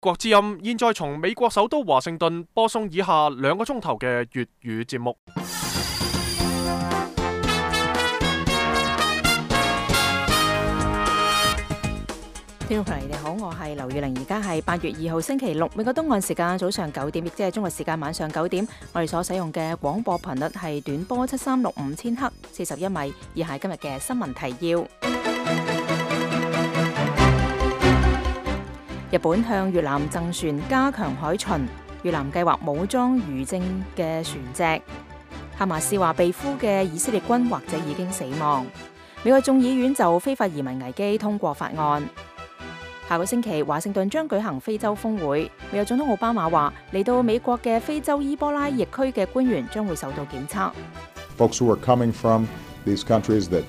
國之音現在從美國首都華盛頓播送以下2個鐘頭嘅粵語節目。聽眾朋友你好，我係劉月玲，而家係8月2號星期六，美國東岸時間早上9點，亦即係中國時間晚上9點。我哋所使用嘅廣播頻率係短波7365千赫41米。以下係今日嘅新聞提要：日本向越南贈船加強海巡，越南計劃武裝漁政嘅船隻。哈馬斯話被俘嘅以色列軍或者已經死亡。美國眾議院就非法移民危機通過法案。下個星期，華盛頓將舉行非洲峰會。美國總統奧巴馬話，嚟到美國嘅非洲伊波拉疫區嘅官員將會受到檢測。Folks who are coming from these countries that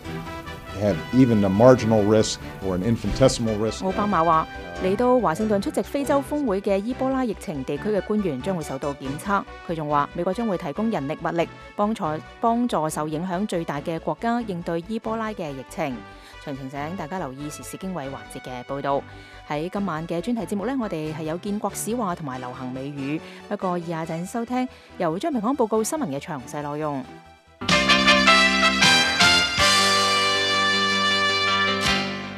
have even a marginal risk or an infinitesimal risk。奧巴馬話，嚟到華盛頓出席非洲峰會嘅伊波拉疫情地區嘅官員將會受到檢測。佢仲話，美國將會提供人力物力，幫助受影響最大嘅國家應對伊波拉嘅疫情。詳情請大家留意時事經緯環節嘅報導。喺今晚嘅專題節目呢，我哋係有建國史話同埋流行美語。不過以下陣收聽由張平康報告新聞嘅詳細內容。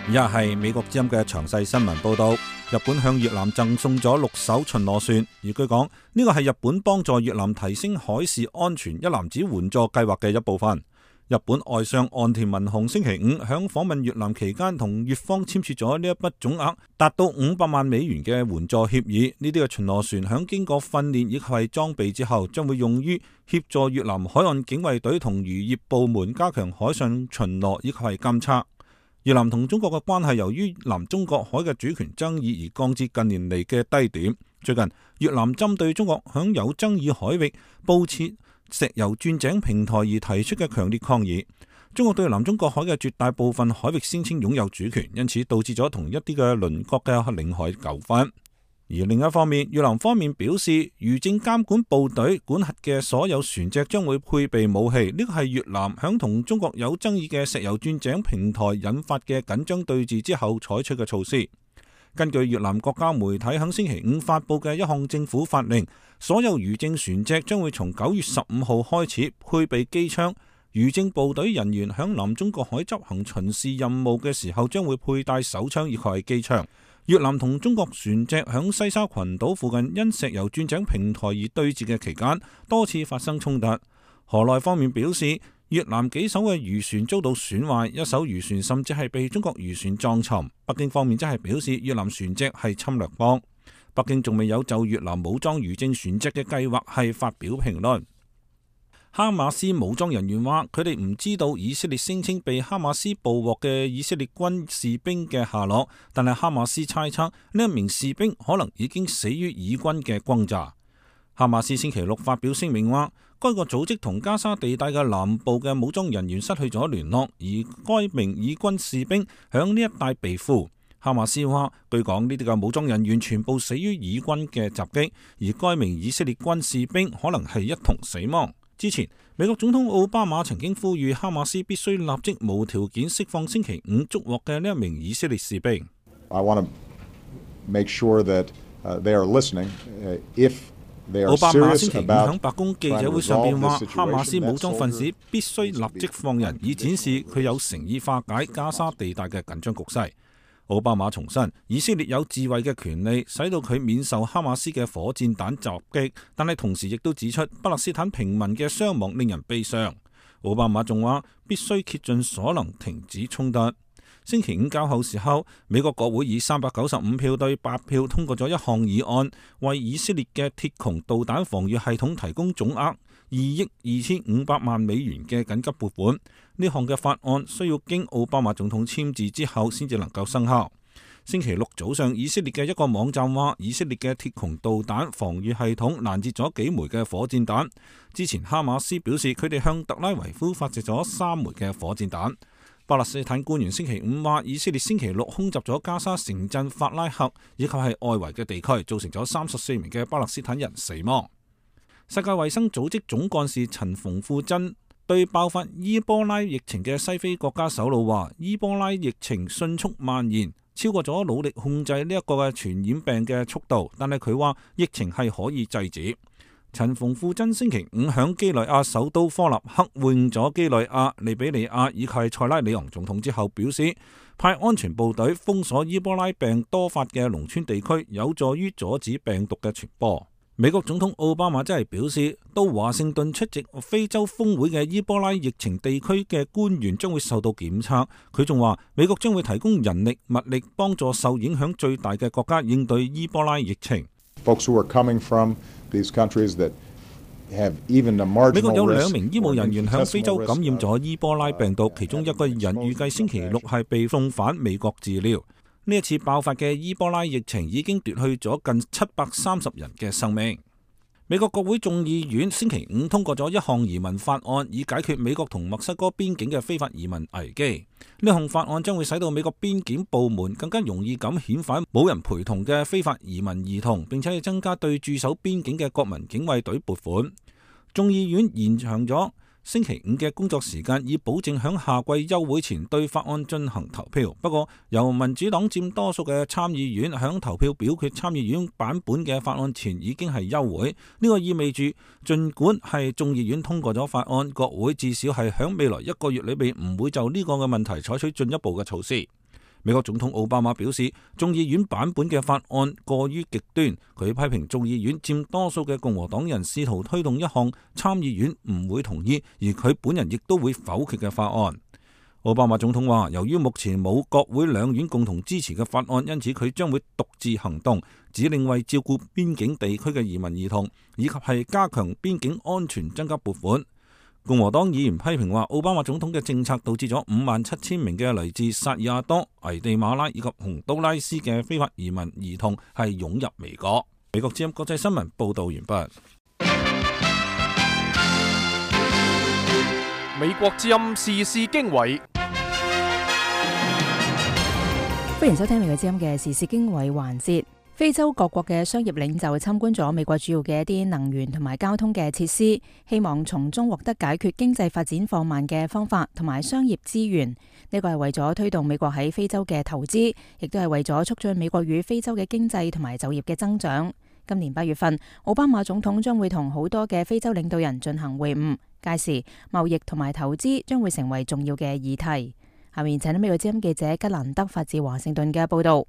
以下係美國之音嘅詳細新聞報導。日本向越南贈送咗6艘巡邏船，而據講呢個係日本幫助越南提升海事安全一籃子援助計劃嘅一部分。日本外相岸田文雄星期5響訪問越南期間，同越方簽署咗呢一筆總額達到500萬美元嘅援助協議。呢啲嘅巡邏船響經過訓練以及係裝備之後，將會用於協助越南海岸警衛隊同漁業部門加強海上巡邏以及係監測。越南同中國嘅關係由於南中國海嘅主權爭議而降至近年嚟嘅低點。最近越南針對中國響有爭議海域布設石油鑽井平台而提出嘅強烈抗議。中國對南中國海嘅絕大部分海域聲稱擁有主權，因此導致咗同一啲嘅鄰國嘅領海糾紛。而另一方面，越南方面表示，漁政監管部隊管轄嘅所有船隻將會配備武器。呢個係越南響同中國有爭議嘅石油鑽井平台引發嘅緊張對峙之後採取嘅措施。根據越南國家媒體喺星期5發佈嘅一項政府法令，所有漁政船隻將會從9月15號開始配備機槍。漁政部隊人員響南中國海執行巡視任務嘅時候，將會佩戴手槍以及係機槍。越南同中國船隻響西沙群島附近因石油鑽井平台而對峙嘅期間，多次發生衝突。河內方面表示，越南幾艘嘅漁船遭到損壞，一艘漁船甚至係被中國漁船撞沉。北京方面則係表示越南船隻係侵略邦。北京仲未有就越南武裝漁政船隻嘅計劃係發表評論。哈馬斯武裝人員話，佢哋唔知道以色列聲稱被哈馬斯捕獲嘅以色列軍士兵嘅下落，但係哈馬斯猜測呢一名士兵可能已經死於以軍嘅轟炸。哈馬斯星期6發表聲明話，該個組織同加沙地帶嘅南部嘅武裝人員失去咗聯絡，而該名以軍士兵響呢一帶被俘。哈馬斯話，據講呢啲嘅武裝人員全部死於以軍嘅襲擊，而該名以色列軍士兵可能係一同死亡。之前，美國總統奧巴馬曾經呼籲哈馬斯必須立即無條件釋放星期5捉獲嘅呢一名以色列士兵。I want to make sure that they are listening. If they are serious about 奧巴馬星期5響白宮記者會上邊話，哈馬斯武裝分子必須立即放人，以展示佢有誠意化解加沙地帶嘅緊張局勢。奧巴馬重申，以色列有自衛嘅權利，使到佢免受哈馬斯嘅火箭彈襲擊，但係同時亦都指出，巴勒斯坦平民嘅傷亡令人悲傷。奧巴馬仲話，必須竭盡所能停止衝突。星期5較後時候，美國國會以395票對8票通過咗一項議案，為以色列嘅鐵穹導彈防禦系統提供總額2億2500萬美元嘅緊急撥款。呢項嘅法案需要經奧巴馬總統簽字之後先至能夠生效。星期6早上，以色列嘅一個網站話，以色列嘅鐵穹導彈防禦系統攔截咗幾枚嘅火箭彈。之前哈馬斯表示，佢哋向特拉維夫發射咗3枚嘅火箭彈。巴勒斯坦官員星期5話，以色列星期6空襲咗加沙城鎮法拉赫以及係外圍嘅地區，造成咗34名嘅巴勒斯坦人死亡。世界衛生組織總幹事陳馮富珍對爆發伊波拉疫情嘅西非國家首腦話，伊波拉疫情迅速蔓延，超過咗努力控制呢一個嘅傳染病嘅速度，但係佢話疫情係可以制止。陳馮富珍星期五響幾內亞首都科納克會晤咗幾內亞、利比里亞以及塞拉利昂總統之後，表示派安全部隊封鎖伊波拉病多發嘅農村地區，有助於阻止病毒嘅傳播。美國總統奧巴馬真係表示，到華盛頓出席非洲峰會嘅伊波拉疫情地區嘅官員將會受到檢測。佢仲話，美國將會提供人力物力幫助受影響最大嘅國家應對伊波拉疫情。Folks who are coming from these countries that have even a marginal risk. 美國有2名醫務人員向非洲感染咗伊波拉病毒，其中一個人預計星期六係被送返美國治療。呢一次爆發嘅伊波拉疫情已經奪去咗近730人嘅生命。美國國會眾議院星期五通過咗一項移民法案，以解決美國同墨西哥邊境嘅非法移民危機。呢項法案將會使到美國邊檢部門更加容易咁遣返冇人陪同嘅非法移民兒童，並且係增加對駐守邊境嘅國民警衛隊撥款。眾議院延長咗星期五嘅工作時間，以保證響夏季休會前對法案進行投票。不過，由民主黨佔多數嘅參議院響投票表決參議院版本嘅法案前已經係休會。呢個意味住，儘管係眾議院通過咗法案，國會至少係響未來1個月裏邊唔會就呢個嘅問題採取進一步嘅措施。美國總統奧巴馬表示，眾議院版本嘅法案過於極端，佢批評眾議院佔多數嘅共和黨人試圖推動一項參議院唔會同意，而佢本人亦都會否決嘅法案。奧巴馬總統話，由於目前冇國會兩院共同支持嘅法案，因此佢將會獨自行動，指令為照顧邊境地區嘅移民兒童，以及係加強邊境安全增加撥款。共和黨議員批評話，奧巴馬總統嘅政策導致咗57000名嘅嚟自薩爾瓦多、危地馬拉以及洪都拉斯嘅非法移民兒童係湧入美國。美國之音國際新聞報道完畢。美國之音時事經緯，歡迎收聽美國之音嘅時事經緯環節。非洲各國嘅商業領袖參觀咗美國主要嘅一啲能源同埋交通嘅設施，希望從中獲得解決經濟發展放慢嘅方法同埋商業資源。呢個係為咗推動美國喺非洲嘅投資，亦都係為咗促進美國與非洲嘅經濟同埋就業嘅增長。今年8月份，奧巴馬總統將會同好多嘅非洲領導人進行會晤，屆時貿易同埋投資將會成為重要嘅議題。下面請到美國之音記者吉蘭德發自華盛頓嘅報道。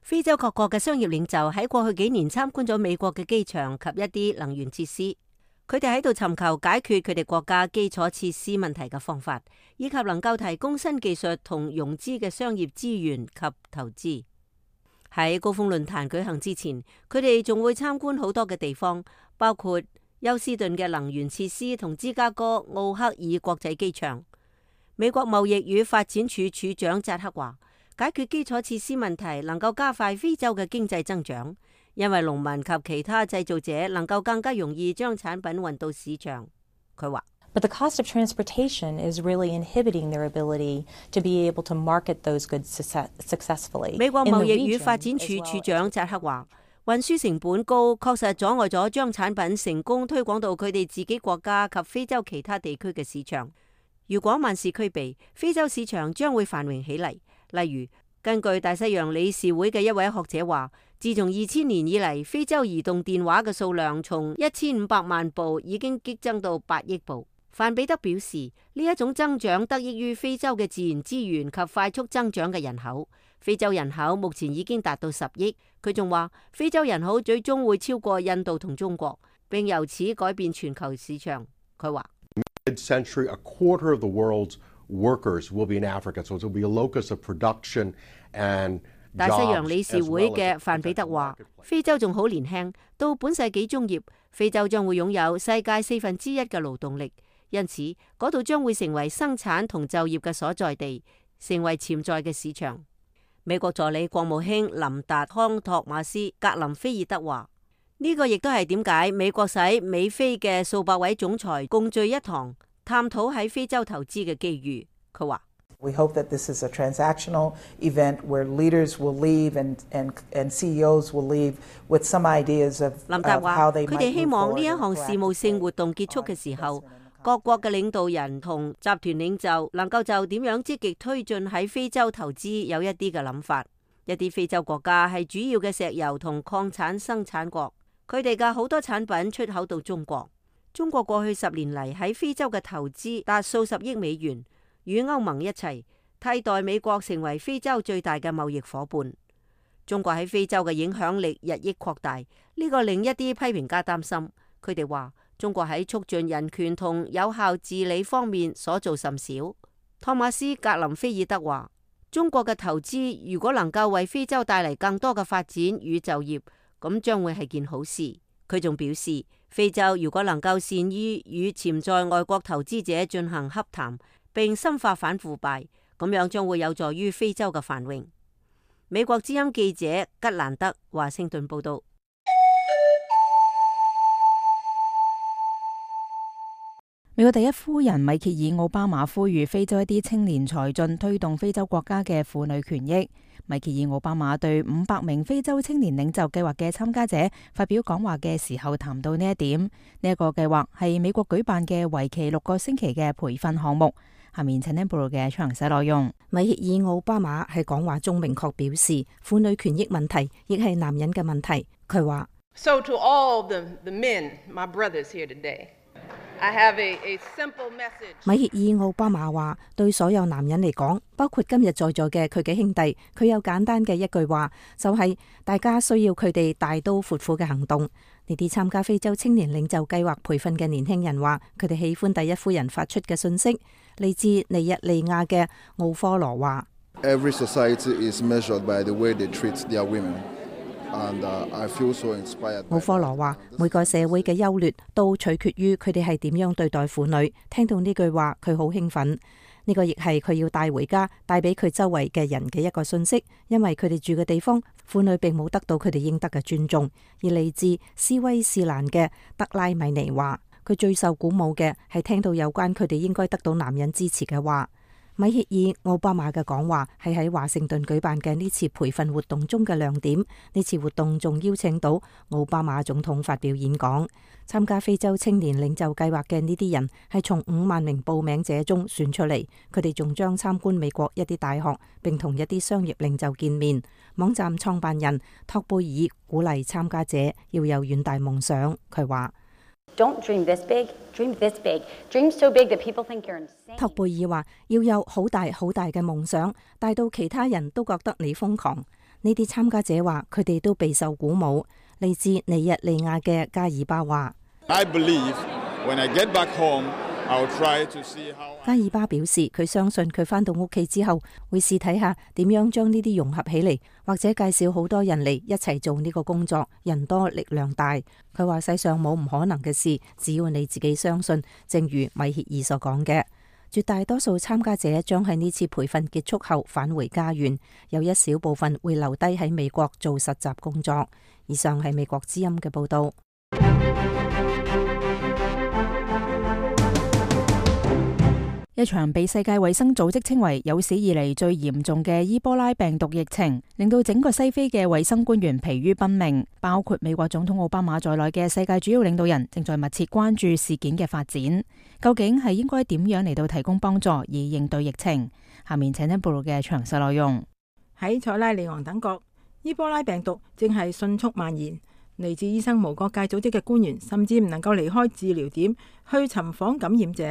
非洲各國嘅商業領袖喺過去幾年參觀咗美國嘅機場及一啲能源設施，佢哋喺度尋求解決佢哋國家基礎設施問題嘅方法，以及能夠提供新技術同融資嘅商業資源及投資。喺高峰論壇舉行之前，佢哋仲會參觀好多嘅地方，包括休斯頓嘅能源設施同芝加哥奧克爾國際機場。美國貿易與發展署署長扎克話，解決基礎設施問題能夠加快非洲嘅經濟增長，因為農民及其他製造者能夠更加容易將產品運到市場。佢話，But the cost of transportation is really inhibiting their ability to be able to market those goods successfully. 美國貿易與發展署署長扎克話，運輸成本高，確實阻礙咗將產品成功推廣到佢哋自己國家及非洲其他地區嘅市場。如果萬事俱備，非洲市場將會繁榮起嚟。例如，根據大西洋理事會嘅一位學者話，自從2000年以嚟，非洲移動電話嘅數量從1500萬部已經激增到8億部。范比德表示，呢一種增長得益於非洲嘅自然資源及快速增長嘅人口。非洲人口目前已經達到10億。佢仲話，非洲人口最終會超過印度同中國，並由此改變全球市場。佢話，Mid-century, a quarter of the world's workers will be in Africa, so it will be a locus of production and jobs. 大西洋理事會嘅范比德話，非洲仲好年輕，到本世紀中葉，非洲將會擁有世界1/4嘅勞動力，因此嗰度將會成為生產同就業嘅所在地，成為潛在嘅市場。美國助理國務卿林達康托馬斯格林菲爾德話，呢個亦都係點解美國使美非嘅數百位總裁共聚一堂，探討喺非洲投資嘅機遇。佢話：We hope that this is a transactional event where leaders will leave and CEOs will leave with some ideas of how they might move forward. 林達話：佢哋希望呢一項事務性活動結束嘅時候，各國嘅領導人同集團領袖能夠就點樣積極推進喺非洲投資有一啲嘅諗法。一啲非洲國家係主要嘅石油同礦產生產國，佢哋嘅好多產品出口到中國。中國過去10年嚟喺非洲嘅投資達數十億美元，與歐盟一齊替代美國成為非洲最大嘅貿易夥伴。中國喺非洲嘅影響力日益擴大，呢個令一啲批評家擔心。佢哋話中國喺促進人權同有效治理方面所做甚少。托馬斯·格林菲爾德話：中國嘅投資如果能夠為非洲帶嚟更多嘅發展與就業，咁將會係件好事。佢仲表示，非洲如果能夠善於與潛在外國投資者進行洽談，並深化反腐敗，咁樣將會有助於非洲嘅繁榮。美國之音記者吉蘭德華盛頓報道。美國第一夫人米歇爾奧巴馬呼籲非洲一啲青年才俊推動非洲國家嘅婦女權益。米歇爾奧巴馬對500名非洲青年領袖計劃嘅參加者發表講話嘅時候談到呢一點。呢一個計劃係美國舉辦嘅為期6個星期嘅培訓項目。下面請聽報道嘅詳細內容。米歇爾奧巴馬喺講話中明確表示，婦女權益問題亦係男人嘅問題。佢話：So to all the men, my brothers here today, I have a simple message. 米歇爾奧巴馬話，對所有男人嚟講，包括今日在座嘅佢嘅兄弟，佢有簡單嘅一句話，就係大家需要佢哋大刀闊斧嘅行動。呢啲參加非洲青年領袖計劃培訓嘅年輕人話，佢哋喜歡第一夫人發出嘅信息。嚟自尼日利亞嘅奧科羅話：Every society is measured by the way they treat their women. 奧科羅話：每個社會嘅優劣都取決於佢哋係點樣對待婦女。聽到呢句話，佢好興奮。呢個亦係佢要帶回家，帶俾佢周圍嘅人嘅一個信息。因為佢哋住嘅地方，婦女並冇得到佢哋應得嘅尊重。而嚟自斯威士蘭嘅德拉米尼話：佢最受鼓舞嘅係聽到有關佢哋應該得到男人支持嘅話。米歇爾奧巴馬嘅講話係喺華盛頓舉辦嘅呢次培訓活動中嘅亮點。呢次活動仲邀請到奧巴馬總統發表演講。參加非洲青年領袖計劃嘅呢啲人係從5萬名報名者中選出嚟。佢哋仲將參觀美國一啲大學，並同一啲商業領袖見面。網站創辦人托貝爾鼓勵參加者要有遠大夢想。佢話：Don't dream this big, dream this big, dream so big that people think you're insane. 托貝爾話：要有好大好大嘅夢想，大到其他人都覺得你瘋狂。呢啲參加者話，佢哋都備受鼓舞。嚟自尼日利亞嘅加爾巴話：加爾巴表示，佢相信佢返到屋企之後會試睇下點樣將呢啲融合起嚟，或者介紹好多人嚟一齊做呢個工作。人多力量大。佢話世上冇唔可能嘅事，只要你自己相信。正如米歇爾所講嘅，絕大多數參加者將喺呢次培訓結束後返回家園，有一小部分會留低喺美國做實習工作。以上係美國之音嘅報道。一場被世界衛生組織稱為有史以嚟最嚴重嘅伊波拉病毒疫情，令到整個西非嘅衛生官員疲於奔命，包括美國總統奧巴馬在內嘅世界主要領導人正在密切關注事件嘅發展。究竟係應該點樣嚟到提供幫助以應對疫情？下面請聽報道嘅詳細內容。喺塞拉利昂等國，伊波拉病毒正係迅速蔓延。嚟自醫生無國界組織嘅官員甚至唔能夠離開治療點去尋訪感染者。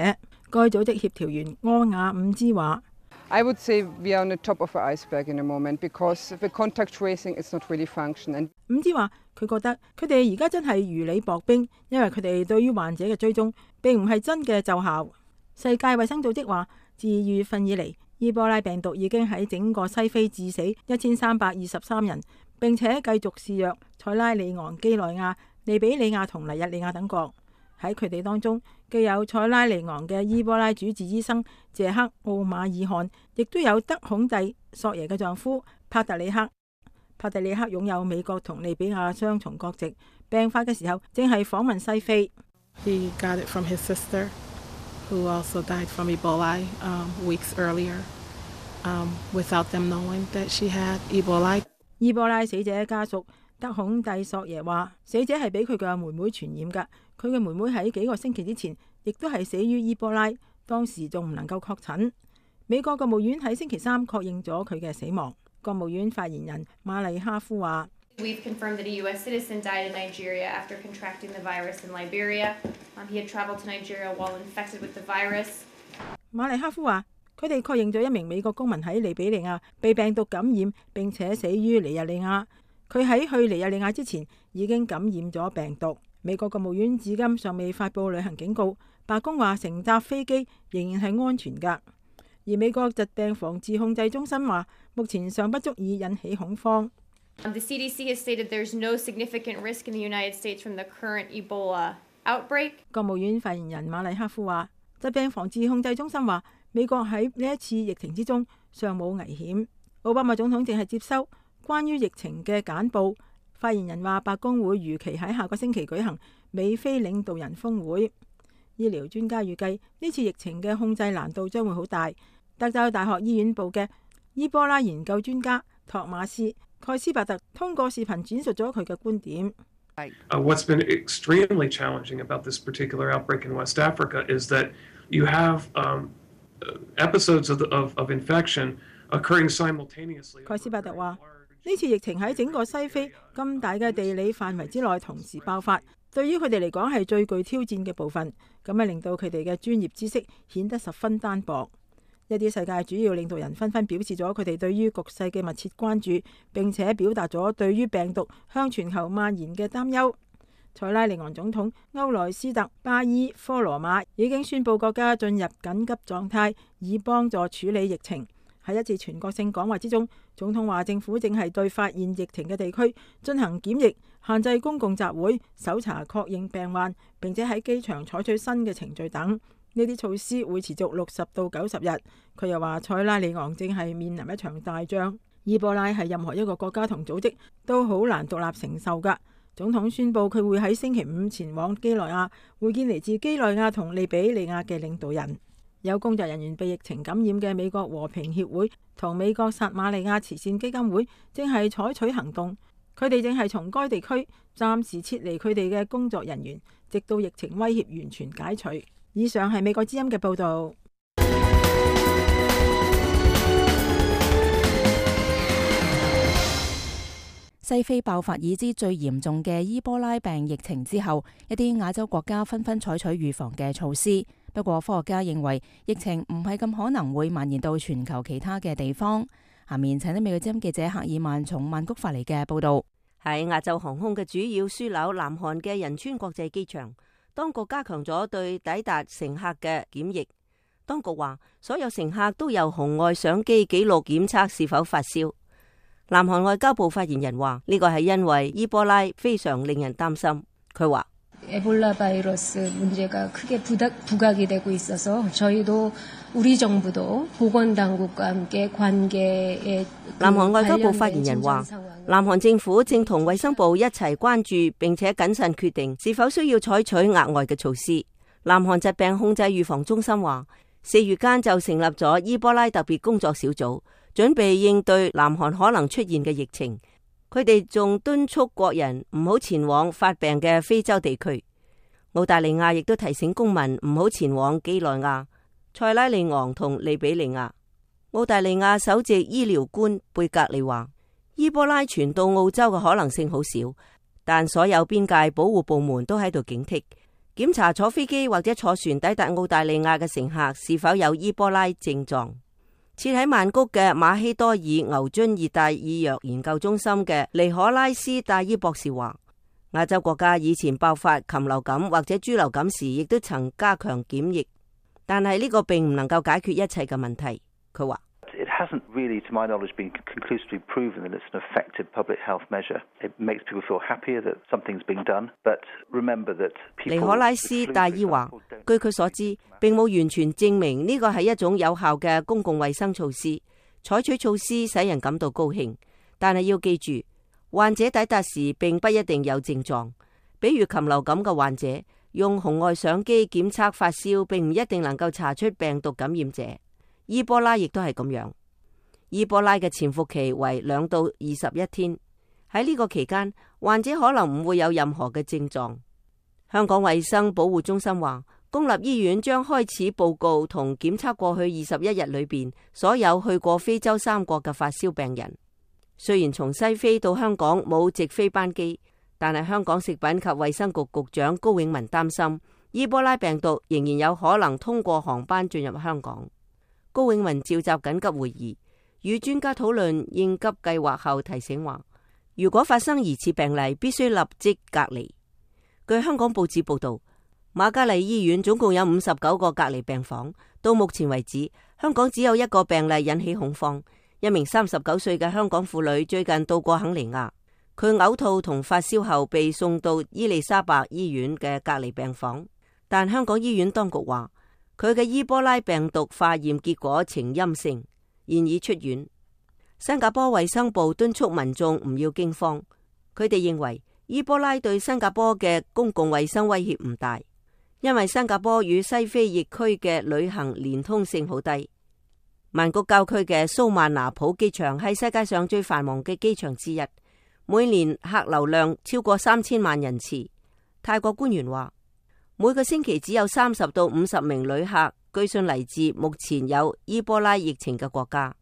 該組織協調員柯雅伍茲話：I would say we are on the top of the iceberg in a moment because the contact tracing is not really functioning. 伍茲話：佢覺得佢哋而家真係如履薄冰，因為佢哋對於患者嘅追蹤並唔係真嘅奏效。世界衛生組織話，自2月份以嚟，伊波拉病毒已經喺整個西非致死1323人，並且繼續肆虐塞拉利昂、幾內亞、利比里亞同尼日利亞等國。喺佢哋當中，既有塞拉利昂嘅伊波拉主治醫生謝克奧馬爾汗，亦都有德孔蒂索耶嘅丈夫帕特里克。帕特里克擁有美國同利比亞雙重國籍，病發嘅時候正係訪問西非。He got it from his sister, who also died from Ebola weeks earlier, without them knowing that she had Ebola. 伊波拉死者家屬德孔蒂索耶話，死者係俾佢嘅妹妹傳染㗎。佢嘅妹妹喺幾個星期之前亦都係死於伊波拉，當時仲唔能夠確診。美國國務院喺星期3確認咗佢嘅死亡。國務院發言人馬麗哈夫話：We've confirmed that a U.S. citizen died in Nigeria after contracting the virus in Liberia. He had traveled to Nigeria while infected with the virus. 馬麗哈夫話：佢哋確認咗一名美國公民喺利比里亞被病毒感染，並且死於尼日利亞。佢喺去尼日利亞之前已經感染咗病毒。美國國務院至今尚未發布旅行警告，白宮話乘搭飛機仍然係安全㗎。而美國疾病防治控制中心話，目前尚不足以引起恐慌。The CDC has stated there's no significant risk in the United States from the current Ebola outbreak. 國務院發言人馬麗哈夫話，疾病防治控制中心話，美國喺呢一次疫情之中尚冇危險。奧巴馬總統正係接收關於疫情嘅簡報。發言人話，白宮會如期喺下個星期舉行美非領導人峰會。醫療專家預計呢次疫情嘅控制難度將會好大。德州大學醫院部嘅伊波拉研究專家托馬斯蓋斯伯特通過視頻轉述咗佢嘅觀點。What's been extremely challenging about this particular outbreak in West Africa is that you have episodes of infection occurring simultaneously. 蓋斯伯特話：呢次疫情喺整個西非咁大嘅地理範圍之內同時爆發，對於佢哋嚟講係最具挑戰嘅部分，咁樣令到佢哋嘅專業知識顯得十分單薄。一啲世界主要領導人紛紛表示咗佢哋對於局勢嘅密切關注，並且表達咗對於病毒向全球蔓延嘅擔憂。塞拉利昂總統歐萊斯特巴伊科羅馬已經宣布國家進入緊急狀態，以幫助處理疫情。喺一次全國性講話之中，總統話政府正係對發現疫情嘅地區進行檢疫，限制公共集會，搜查確認病患，並且喺機場採取新嘅程序等。呢啲措施會持續60到90日。佢又話塞拉利昂正係面臨一場大仗，伊波拉係任何一個國家同組織都好難獨立承受㗎。總統宣布佢會喺星期五前往幾內亞會見嚟自幾內亞同利比里亞嘅領導人。有工作人員被疫情感染嘅美國和平協會同美國撒瑪利亞慈善基金會正係採取行動，佢哋正係從該地區暫時撤離佢哋嘅工作人員，直到疫情威脅完全解除。以上係美國之音嘅報導。西非爆發已知最嚴重嘅伊波拉病疫情之後，一啲亞洲國家紛紛採取預防嘅措施。不過科學家認為疫情唔係咁可能會蔓延到全球其他嘅地方。下面請啲美國之音記者赫爾曼從曼谷發嚟嘅報導。喺亞洲航空嘅主要樞紐南韓嘅仁川國際機場，當局加強咗對抵達乘客嘅檢疫。當局話，所有乘客都由紅外相機記錄檢測是否發燒。南韓外交部發言人話，呢個係因為伊波拉非常令人擔心。佢話，南韓外交部發言人話，南韓政府正同衛生部一齊關注並且謹慎決定是否需要採取額外嘅措施。南韓疾病控制預防中心話，4月間就成立咗伊波拉特別工作小組，準備應對南韓可能出現嘅疫情。佢哋仲敦促國人唔好前往發病嘅非洲地區。澳大利亞亦都提醒公民唔好前往幾內亞、塞拉利昂同利比里亞。澳大利亞首席醫療官貝格利話，伊波拉傳到澳洲嘅可能性好少，但所有邊界保護部門都喺度警惕，檢查坐飛機或者坐船抵達澳大利亞嘅乘客是否有伊波拉症狀。設喺曼谷嘅馬希多爾牛津熱帶醫藥研究中心嘅尼可拉斯戴伊博士話，亞洲國家以前爆發禽流感或者豬流感時，亦都曾加強檢疫，但係呢個並唔能夠解決一切嘅問題。佢話：It hasn't really, to my knowledge, been conclusively proven that it's an effective public health measure. It makes people feel happier that something's being done, but remember that people... 尼可拉斯戴伊話，據佢所知，並冇完全證明呢個係一種有效嘅公共衛生措施。採取措施使人感到高興，但係要記住，患者抵達時並不一定有症狀。比如禽流感嘅患者，用紅外相機檢測發燒，並唔一定能夠查出病毒感染者。伊波拉亦都係咁樣。伊波拉嘅潛伏期為2到21天，喺呢個期間，患者可能唔會有任何嘅症狀。香港衛生保護中心話，公立醫院將開始報告同檢測過去21日裏邊所有去過非洲3國嘅發燒病人。雖然從西非到香港冇直飛班機，但係香港食品及衛生局局長高永文擔心伊波拉病毒仍然有可能通過航班進入香港。高永文召集緊急會議，與專家討論應急計劃後提醒話，如果發生疑似病例，必須立即隔離。據香港報紙報道，瑪嘉麗醫院總共有59個隔離病房，到目前為止，香港只有一個病例引起恐慌。一名39歲嘅香港婦女最近到過肯尼亞，佢嘔吐同發燒後被送到伊利沙伯醫院嘅隔離病房，但香港醫院當局話佢嘅伊波拉病毒化驗結果呈陰性，現已出院。新加坡衛生部敦促民眾唔要驚慌，佢哋認為伊波拉對新加坡嘅公共衛生威脅唔大，因為新加坡與西非疫區嘅旅行連通性好低。曼谷郊區嘅蘇萬拿普機場係世界上最繁忙嘅機場之一，每年客流量超過3000萬人次。泰國官員話，每個星期只有30到50名旅客據信嚟自目前有伊波拉疫情嘅國家。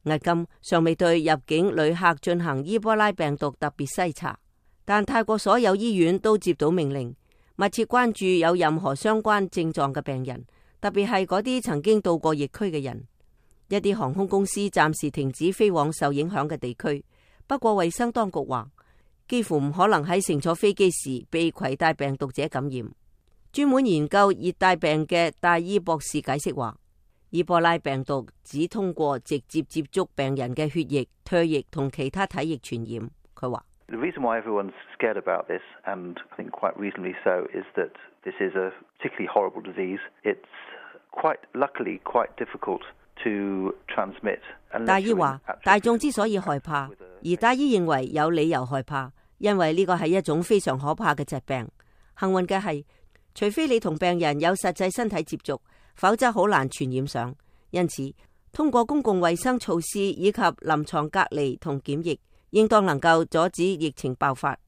迄今尚未對入境旅客進行伊波拉病毒特別篩查，但泰國所有醫院都接到命令，密切關注有任何相關症狀嘅病人，特別係嗰啲曾經到過疫區嘅人。一啲航空公司暫時停止飛往受影響嘅地區，不過衛生當局話，幾乎唔可能喺乘坐飛機時被攜帶病毒者感染。專門研究熱帶病嘅戴伊博士解釋話，伊波拉病毒只通過直接接觸病人嘅血液、唾液同其他體液傳染。佢話：The reason why everyone's scared about this, and I think quite reasonably so, is that this is a particularly horrible disease. It's quite luckily quite difficult to transmit. 戴伊話：大眾之所以害怕，而戴伊認為有理由害怕，因為呢個係一種非常可怕嘅疾病。幸運嘅係，除非你同病人有實際身體接觸，否則好難傳染上。因此，通過公共衛生措施以及臨床隔離同檢疫，應當能夠阻止疫情爆發。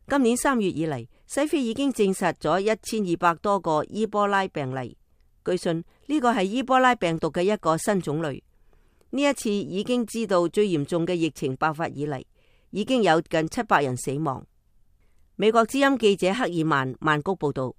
今年3月以嚟，西非已經證實咗1200多個伊波拉病例。據信呢個係伊波拉病毒嘅一個新種類。呢一次已經知道最嚴重嘅疫情爆發以嚟，已經有近700人死亡。美國之音記者克爾曼曼谷報道。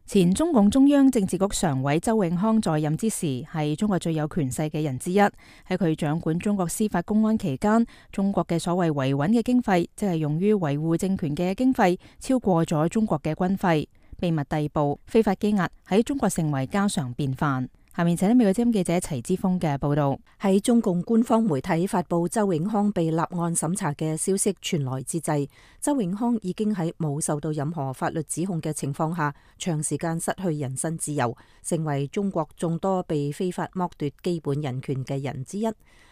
前中共中央政治局常委周永康在任之時，係中國最有權勢嘅人之一。喺佢掌管中國司法公安期間，中國嘅所謂維穩嘅經費，即係用於維護政權嘅經費，超過咗中國嘅軍費。秘密逮捕、非法羈押喺中國成為家常便飯。下面請美國之音記者齊之鋒嘅報道。喺中共官方媒體發布周永康被立案審查嘅消息傳來之際，周永康已經喺冇受到任何法律指控嘅情況下，長時間失去人身自由，成為中國眾多被非法剝奪基本人權嘅人之一。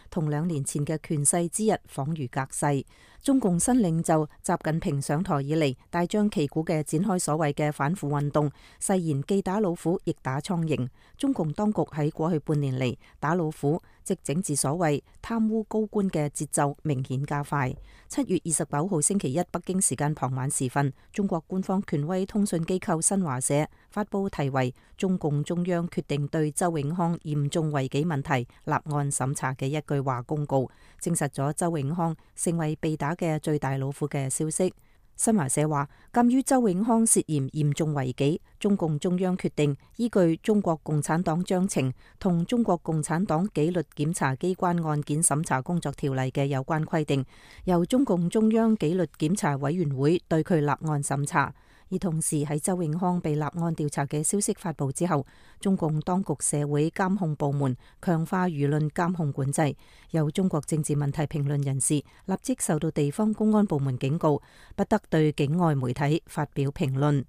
同2年前嘅權勢之日恍如隔世。中共新領袖習近平上台以嚟，大張旗鼓嘅展開所謂嘅反腐運動，誓言既打老虎亦打蒼蠅。中共當局喺過去半年嚟打老虎，即整治所謂貪污高官嘅節奏明顯加快。7月29號星期一北京時間傍晚時分，中國官方權威通訊機構新華社發布題為《中共中央決定對周永康嚴重違紀問題立案審查》嘅一句話公告，證實咗周永康成為被打嘅最大老虎嘅消息。新華社話，鑒於周永康涉嫌嚴重違紀，中共中央決定依據《中國共產黨章程》同《中國共產黨紀律檢查機關案件審查工作條例》嘅有關規定，由中共中央紀律檢查委員會對佢立案審查。而同時喺周永康被立案調查嘅消息發布之後，中共當局社會監控部門強化輿論監控管制，有中國政治問題評論人士立即受到地方公安部門警告，不得對境外媒體發表評論。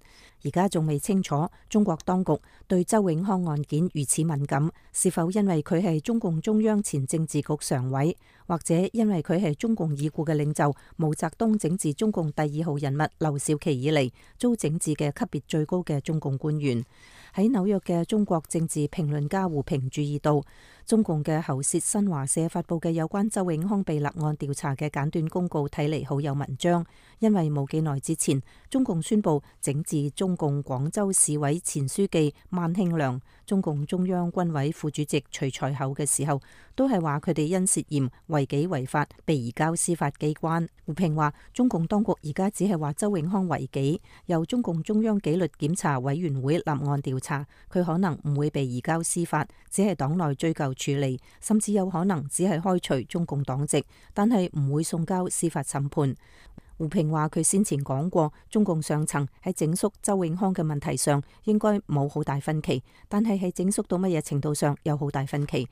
而家仲未清楚中國當局對周永康案件如此敏感，是否因為佢係中共中央前政治局常委，或者因為佢係中共已故嘅領袖毛澤東整治中共第2號人物劉少奇以嚟遭整治嘅級別最高嘅中共官員。喺紐約嘅中國政治評論家胡平注意到，中共嘅喉舌新華社發佈嘅有關周永康被立案調查嘅簡短公告睇嚟好有文章，因為冇幾耐之前，中共宣布整治中共廣州市委前書記萬慶良、中共中央軍委副主席徐才厚嘅時候，都係話佢哋因涉嫌違紀違法被移交司法機關。胡平話，中共當局而家只係話周永康違紀，由中共中央紀律檢查委員會立案調查，佢可能唔會被移交司法，只係黨內追究處理，甚至有可能只係開除中共黨籍，但係唔會送交司法審判。胡平話，佢先前講過，中共上層喺整肅周永康嘅問題上應該冇好大分歧，但係喺整肅到乜嘢程度上有好大分歧。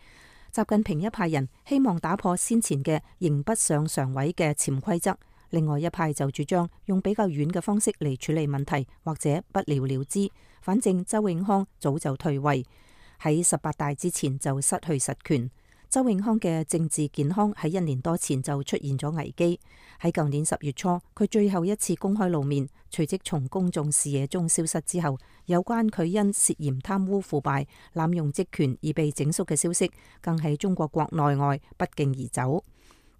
習近平一派人希望打破先前嘅刑不上常委嘅潛規則，另外一派就主張用比較軟嘅方式嚟處理問題，或者不了了之。反正周永康早就退位，喺18大之前就失去實權。周永康嘅政治健康喺1年多前就出現咗危機。喺舊年10月初，佢最後一次公開露面，隨即從公眾視野中消失之後，有關佢因涉嫌貪污腐敗、濫用職權而被整肅嘅消息，更喺中國國內外不脛而走。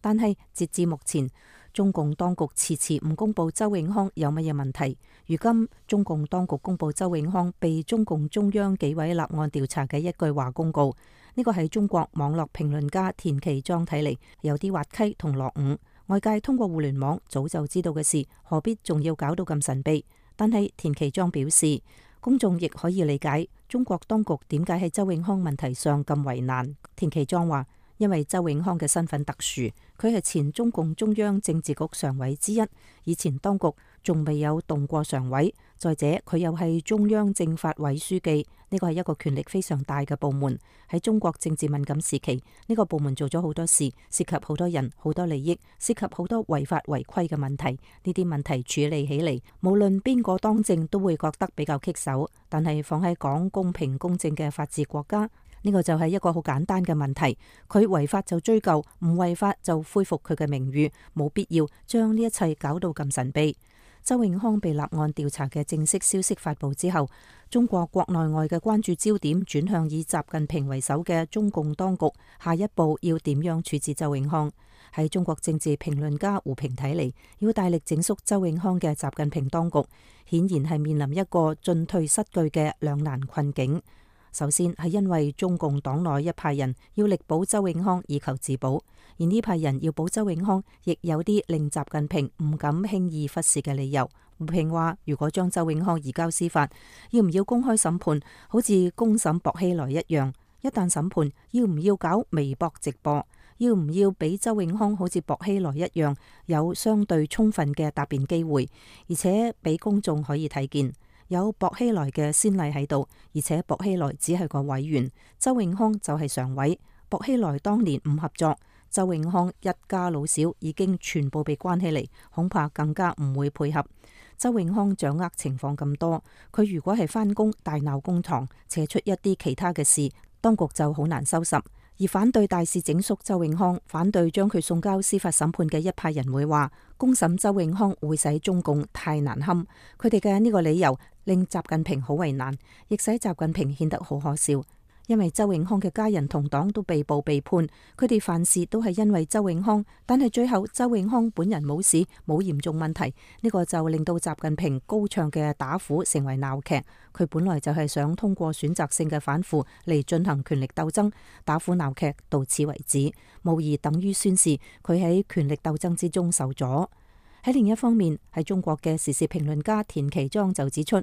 但係截至目前，中共當局遲遲唔公布周永康有乜嘢問題。如今中共當局公布周永康被中共中央紀委立案調查嘅一句話公告，呢個係中國網絡評論家田其莊睇嚟有啲滑稽同落伍。外界通過互聯網早就知道嘅事，何必仲要搞到咁神秘？但係田其莊表示，公眾亦可以理解中國當局點解喺周永康問題上咁為難。田其莊話，因為周永康嘅身份特殊，佢係前中共中央政治局常委之一，以前當局仲未有動過常委。再者，佢又係中央政法委書記，呢個係一個權力非常大嘅部門。喺中國政治敏感時期，呢個部門做咗好多事，涉及好多人、好多利益，涉及好多違法違規嘅問題。呢啲問題處理起嚟，無論邊個當政都會覺得比較棘手。但係放喺講公平公正嘅法治國家，呢個就係一個好簡單嘅問題。佢違法就追究，唔違法就恢復佢嘅名譽，冇必要將呢一切搞到咁神秘。周永康被立案調查嘅正式消息發佈之後，中國國內外嘅關注焦點轉向以習近平為首嘅中共當局下一步要點樣處置周永康。喺中國政治評論家胡平睇嚟，要大力整肅周永康嘅習近平當局，顯然係面臨一個進退失據嘅兩難困境。首先係因為中共黨內一派人要力保周永康以求自保，而呢派人要保周永康，亦有啲令習近平唔敢輕易忽視嘅理由。胡平話，如果將周永康移交司法，要唔要公開審判，好似公審薄熙來一樣？一旦審判，要唔要搞微博直播？要唔要俾周永康好似薄熙來一樣有相對充分嘅答辯機會，而且俾公眾可以睇見？有薄熙來嘅先例喺度，而且薄熙來只係個委員，周永康就係常委。薄熙來當年唔合作，周永康一家老小已經全部被關起嚟，恐怕更加唔會配合。周永康掌握情況咁多，佢如果係翻工大鬧公堂，扯出一啲其他嘅事，當局就好難收拾。而反對大肆整肅周永康，反對將佢送交司法審判嘅一派人會話，公審周永康會使中共太難堪。佢哋嘅呢個理由令習近平好為難，亦使習近平顯得好可笑。因為周永康嘅家人同黨都被捕被判，佢哋犯事都係因為周永康，但係最後周永康本人冇事冇嚴重問題，呢個就令到習近平高唱嘅打虎成為鬧劇。佢本來就係想通過選擇性嘅反腐嚟進行權力鬥爭，打虎鬧劇到此為止，無疑等於宣示佢喺權力鬥爭之中受阻。喺另一方面，喺中國嘅時事評論家田其莊就指出，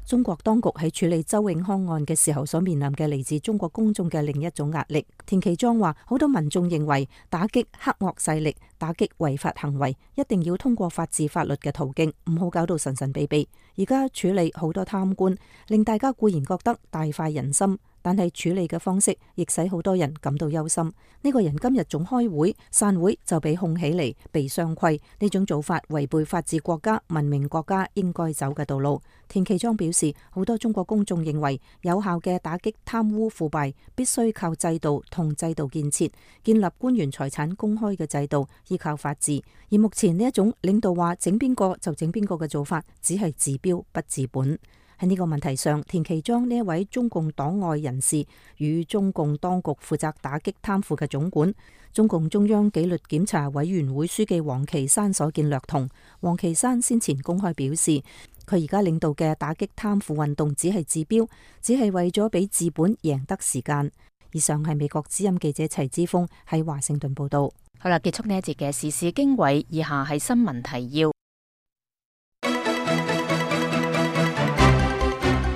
中國當局喺處理周永康案嘅時候所面臨嘅嚟自中國公眾嘅另一種壓力。田其莊話，好多民眾認為打擊黑惡勢力、打擊違法行為一定要通過法治法律嘅途徑，唔好搞到神神秘秘。而家處理好多貪官，令大家固然覺得大快人心，但係處理嘅方式亦使好多人感到憂心。呢個人今日仲開會，散會就被控起嚟，被雙規，呢種做法違背法治國家、文明國家應該走嘅道路。田其莊表示，好多中國公眾認為有效嘅打擊貪污腐敗必須靠制度同制度建設，建立官員財產公開嘅制度，依靠法治。而目前呢一種領導話整邊個就整邊個嘅做法，只係治標不治本。喺呢個問題上，田其莊呢一位中共黨外人士與中共當局負責打擊貪腐嘅總管，中共中央紀律檢查委員會書記王岐山所見略同。王岐山先前公開表示，佢而家領導嘅打擊貪腐運動只係治標，只係為咗俾治本贏得時間。以上係美國之音記者齊之鋒喺華盛頓報道。好啦，結束呢一節嘅時事經緯，以下係新聞提要。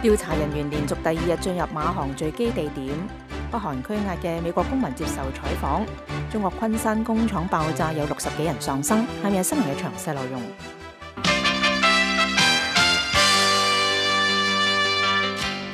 調查人員連續第2日進入馬航墜機地點，北韓拘押嘅美國公民接受採訪。中國昆山工廠爆炸有60幾人喪生，係咪新聞嘅詳細內容？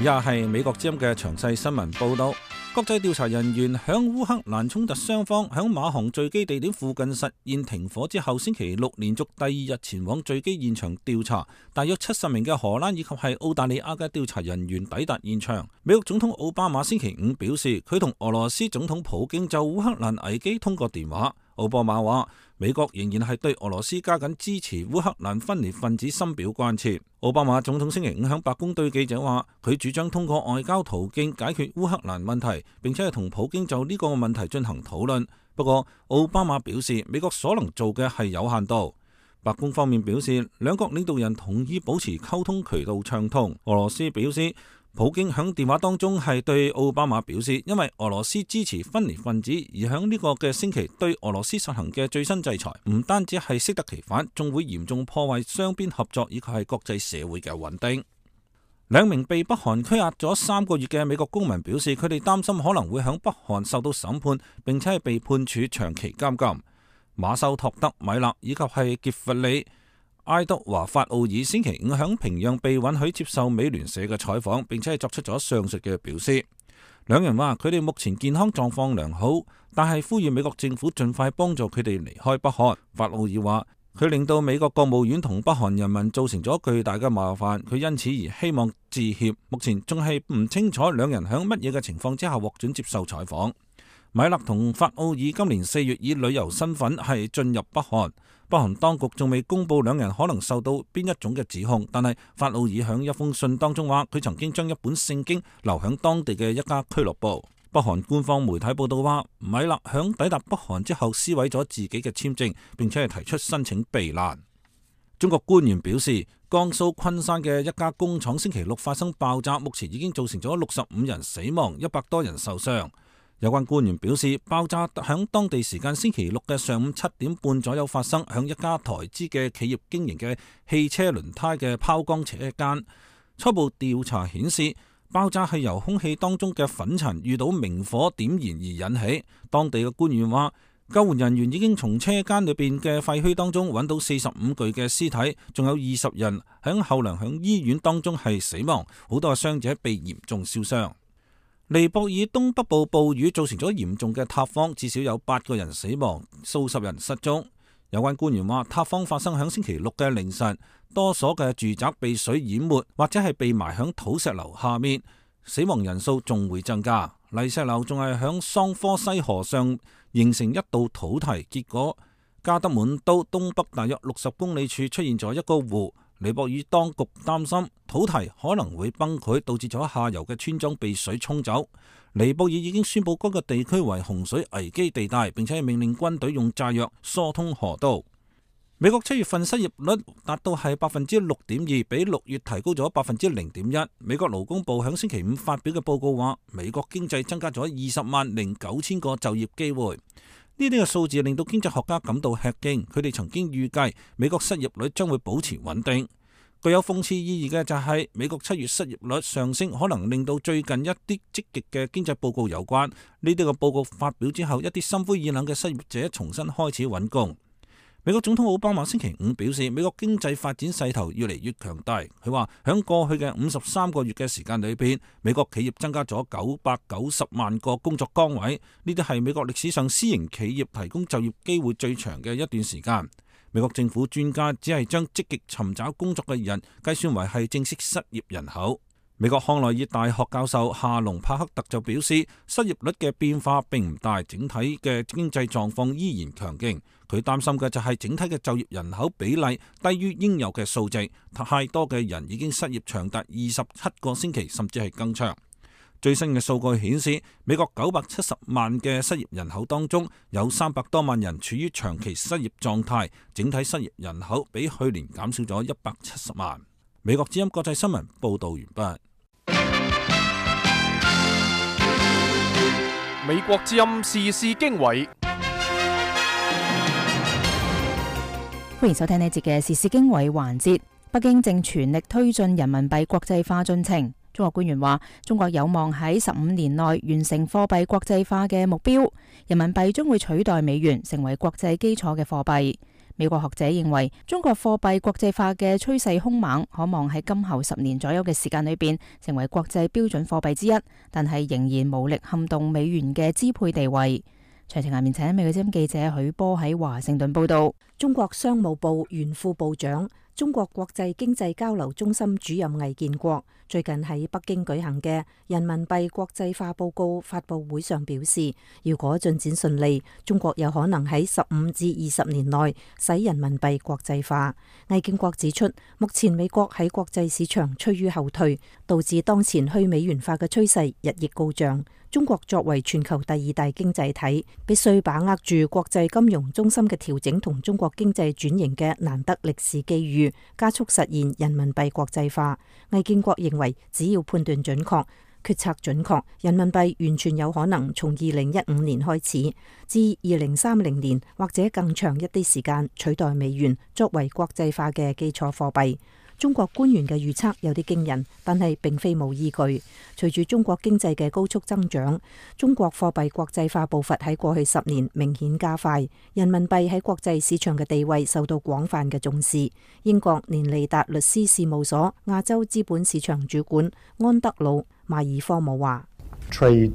以下係美國之音嘅詳細新聞報道。國際調查人員響烏克蘭衝突雙方響馬航墜機地點附近實現停火之後，星期六連續第2日前往墜機現場調查。大約70名嘅荷蘭以及係澳大利亞嘅調查人員抵達現場。美國總統奧巴馬星期5表示，佢同俄羅斯總統普京就烏克蘭危機通過電話。奧巴馬話，美國仍然係對俄羅斯加緊支持烏克蘭分裂分子深表關切。奧巴馬總統星期5響白宮對記者話，佢主張通過外交途徑解決烏克蘭問題，並且係同普京就呢個問題進行討論。不過，奧巴馬表示，美國所能做嘅係有限度。白宮方面表示，兩國領導人同意保持溝通渠道暢通。俄羅斯表示，普京響電話當中係對奧巴馬表示，因為俄羅斯支持分裂分子，而響呢個嘅星期對俄羅斯實行嘅最新制裁，唔單止係適得其反，仲會嚴重破壞雙邊合作以及係國際社會嘅穩定。2名被北韓拘押咗3個月嘅美國公民表示，佢哋擔心可能會響北韓受到審判，並且係被判處長期監禁。馬修托德米勒以及係傑弗里埃德華法奧爾星期5響平壤被允許接受美聯社嘅採訪，並且係作出咗上述嘅表示。兩人話佢哋目前健康狀況良好，但係呼籲美國政府盡快幫助佢哋離開北韓。法奧爾話佢令到美國國務院同北韓人民造成咗巨大嘅麻煩，佢因此而希望致歉。目前仲係唔清楚兩人響乜嘢嘅情況之下獲准接受採訪。米勒同法奧爾今年4月以旅遊身份係進入北韓，北韓當局仲未公布兩人可能受到邊一種嘅指控，但係法奧爾響一封信當中話，佢曾經將一本聖經留響當地嘅一家俱樂部。北韓官方媒體報道話，米勒響抵達北韓之後撕毀咗自己嘅簽證，並且係提出申請避難。中國官員表示，江蘇昆山嘅一家工廠星期六發生爆炸，目前已經造成咗65人死亡，100多人受傷。有關官員表示，爆炸響當地時間星期六嘅上午7點半左右發生，響一家台資嘅企業經營嘅汽車輪胎嘅拋光車間。初步調查顯示，爆炸係由空氣當中嘅粉塵遇到明火點燃而引起。當地嘅官員話，救援人員已經從車間裏邊嘅廢墟當中揾到45具嘅屍體，仲有20人響後嚟響醫院當中係死亡，好多嘅傷者被嚴重燒傷。尼泊爾東北部暴雨造成咗嚴重嘅塌方，至少有8個人死亡，數十人失蹤。有關官員話，塌方發生響星期六嘅凌晨，多所嘅住宅被水淹沒，或者係被埋響土石流下面，死亡人數仲會增加。泥石流仲係響桑科西河上形成一道土堤，結果加德滿都東北大約60公里處出現咗一個湖。尼泊爾當局擔心土堤可能會崩潰，導致咗下游嘅村莊被水沖走。尼泊爾已經宣布該個地區為洪水危機地帶，並且命令軍隊用炸藥疏通河道。美國7月份失業率達到係6.2%，比6月提高咗0.1%。美國勞工部響星期5發表嘅報告話，美國經濟增加咗20.9萬個就業機會。呢啲嘅數字令到經濟學家感到吃驚，佢哋曾經預計美國失業率將會保持穩定。具有諷刺意義嘅就係美國7月失業率上升，可能令到最近一啲積極嘅經濟報告有關。呢啲嘅報告發表之後，一啲心灰意冷嘅失業者重新開始揾工。美國總統奧巴馬星期5表示，美國經濟發展勢頭越嚟越強大。佢話響過去嘅53個月嘅時間裏邊，美國企業增加咗990萬個工作崗位，呢啲係美國歷史上私營企業提供就業機會最長嘅一段時間。美國政府專家只係將積極尋找工作嘅人計算為係正式失業人口。美國康奈爾大學教授夏隆帕克特就表示，失業率嘅變化並唔大，整體嘅經濟狀況依然強勁。佢擔心嘅就係整體嘅就業人口比例低於應有嘅數值，太多嘅人已經失業長達27個星期，甚至係更長。最新嘅數據顯示，美國970萬嘅失業人口當中，有300多萬人處於長期失業狀態，整體失業人口比去年減少咗170萬。美國之音國際新聞報道完畢。美國之音時事經緯，歡迎收聽呢節嘅時事經緯環節。北京正全力推進人民幣國際化進程。中國官員話，中國有望喺15年內完成貨幣國際化嘅目標，人民幣將會取代美元成為國際基礎嘅貨幣。美國學者認為，中國貨幣國際化嘅趨勢兇猛，可望喺今後10年左右嘅時間裏邊成為國際標準貨幣之一，但係仍然無力撼動美元嘅支配地位。詳情下面請美國之音記者許波喺華盛頓報道。中國商務部原副部長、中國國際經濟交流中心主任魏建國最近喺北京舉行嘅人民幣國際化報告發佈會上表示，如果進展順利，中國有可能喺15至20年內使人民幣國際化。魏建國指出，目前美國喺國際市場趨於後退，導致當前去美元化嘅趨勢日益高漲。中國作為全球第2大經濟體，必須把握住國際金融中心嘅調整同中國經濟轉型嘅難得歷史機遇，加速實現人民幣國際化。魏建國認為，只要判斷準確、決策準確，人民幣完全有可能從2015年開始，至2030年或者更長一啲時間取代美元作為國際化嘅基礎貨幣。中國官員嘅預測有啲驚人，但係並非冇依據。隨住中國經濟嘅高速增長，中國貨幣國際化步伐喺過去10年明顯加快，人民幣喺國際市場嘅地位受到廣泛嘅重視。英國連利達律師事務所亞洲資本市場主管安德魯馬爾科姆話：Trade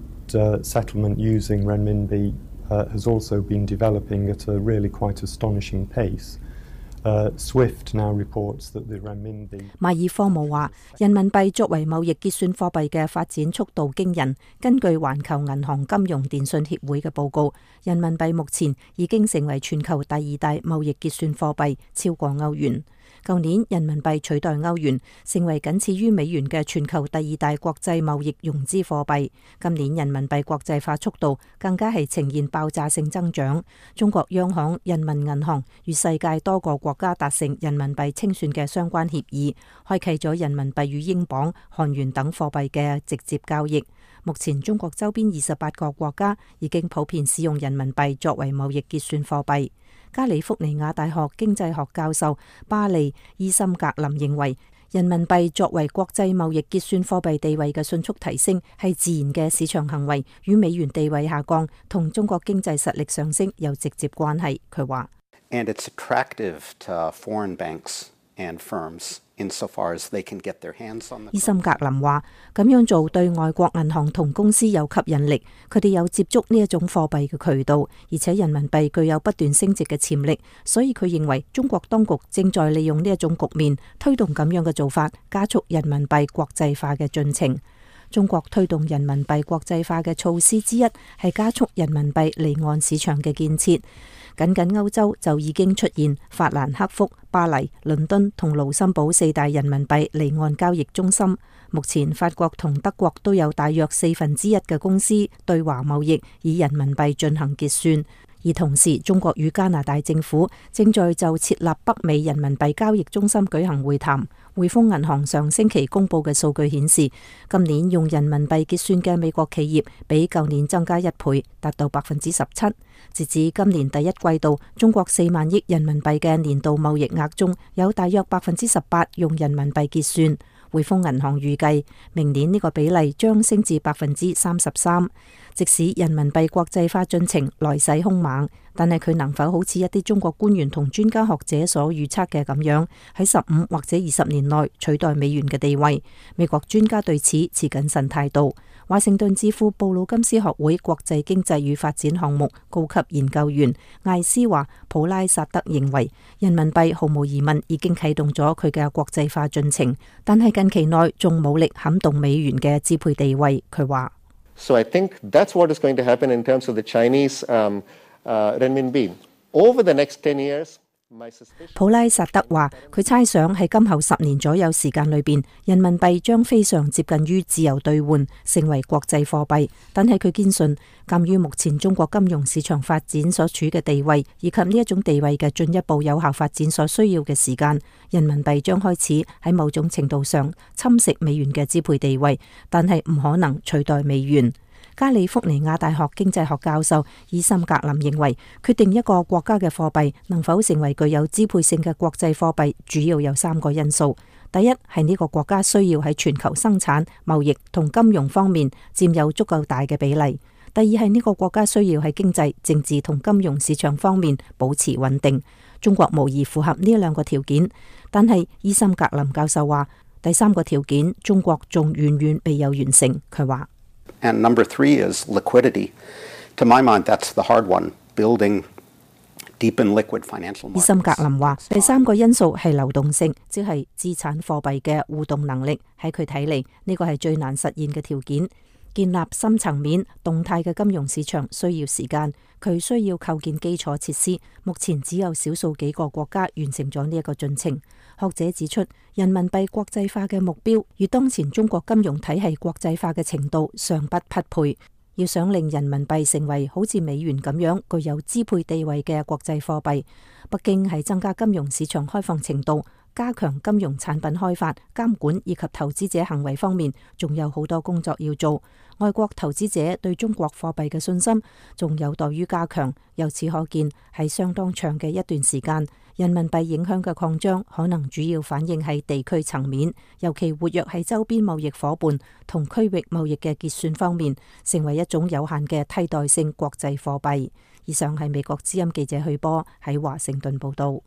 settlement using renminbi has also been developing at a really quite astonishing pace.Swift now reports that the renminbi 馬爾科姆話，人民幣作為貿易結算貨幣嘅發展速度驚人。根據環球銀行金融電訊協會嘅報告，人民幣目前已經成為全球第2大貿易結算貨幣，超過歐元。舊年人民幣取代歐元，成為僅次於美元嘅全球第2大國際貿易融資貨幣。今年人民幣國際化速度更加係呈現爆炸性增長。中國央行人民銀行與世界多個國家達成人民幣清算嘅相關協議，開啟咗人民幣與英鎊、韓元等貨幣嘅直接交易。目前中國周邊28個國家已經普遍使用人民幣作為貿易結算貨幣。加利福尼亞大學經濟學教授巴利伊森格林認為，人民幣作為國際貿易結算貨幣地位嘅迅速提升係自然嘅市場行為，與美元地位下降同中國經濟實力上升有直接關係。佢話：And it's attractive to foreign banks and firms insofar as they can get their hands on the。伊森格林話：咁樣做對外國銀行同公司有吸引力，佢哋有接觸呢一種貨幣嘅渠道，而且人民幣具有不斷升值嘅潛力，所以佢認為中國當局正在利用呢一種局面，推動咁樣嘅做法，加速人民幣國際化嘅進程。中國推動人民幣國際化嘅措施之一係加速人民幣離岸市場嘅建設。僅歐洲就已經出現法蘭克福、巴黎、倫敦同盧森堡4大人民幣離岸交易中心。目前法國同德國都有大約1/4嘅公司對華貿易以人民幣進行結算。而同時，中國與加拿大政府正在就設立北美人民幣交易中心舉行會談。匯豐銀行上星期公布嘅數據顯示，今年用人民幣結算嘅美國企業比舊年增加1倍，達到17%。截至今年第一季度，中國4萬億人民幣嘅年度貿易額中有大約18%用人民幣結算。匯豐銀行預計明年呢個比例將升至33%。即使人民幣國際化進程來勢兇猛，但係佢能否好似一啲中國官員同專家學者所預測嘅咁樣，喺15或者20年內取代美元嘅地位？美國專家對此持謹慎態度。華盛頓智庫布魯金斯學會國際經濟與發展項目高級研究員艾斯華普拉薩德認為，人民幣毫無疑問已經啟動咗佢嘅國際化進程，但係近期內仲冇力撼動美元嘅支配地位。佢話：So I think that's what is going to happen in terms of the Chinese renminbi over the next 10 years. 普拉薩德話：佢猜想喺今後10年左右時間裏邊，人民幣將非常接近於自由兌換，成為國際貨幣。但係佢堅信，鑒於目前中國金融市場發展所處嘅地位，以及呢一種地位嘅進一步有效發展所需要嘅時間，人民幣將開始喺某種程度上侵蝕美元嘅支配地位，但係唔可能取代美元。加利福尼亞大學經濟學教授伊森格林認為，決定一個國家嘅貨幣能否成為具有支配性嘅國際貨幣，主要有3個因素。第一係呢個國家需要喺全球生產、貿易同金融方面佔有足夠大嘅比例。第二係呢個國家需要喺經濟、政治同金融市場方面保持穩定。中國無疑符合呢2個條件，但係伊森格林教授話，第3個條件中國仲遠遠未有完成。佢話And number 3 is liquidity. To my mind, that's the hard one, building deep and liquid financial markets. 伊森格林話，第3個因素係流動性，即係資產貨幣嘅互動能力。喺佢睇嚟，呢個係最難實現嘅條件。建立深層面動態嘅金融市場需要時間，佢需要構建基礎設施。目前只有少數幾個國家完成咗呢一個進程。學者指出，人民幣國際化嘅目標與當前中國金融體系國際化嘅程度尚不匹配。要想令人民幣成為好似美元咁樣具有支配地位嘅國際貨幣，北京喺增加金融市場開放程度、加強金融產品開發、監管以及投資者行為方面，仲有好多工作要做。外國投資者對中國貨幣嘅信心仲有待於加強。由此可見，喺相當長嘅一段時間，人民幣影響嘅擴張可能主要反映喺地區層面，尤其活躍喺周邊貿易夥伴同區域貿易嘅結算方面，成為一種有限嘅替代性國際貨幣。以上係美國之音記者許波喺華盛頓報道。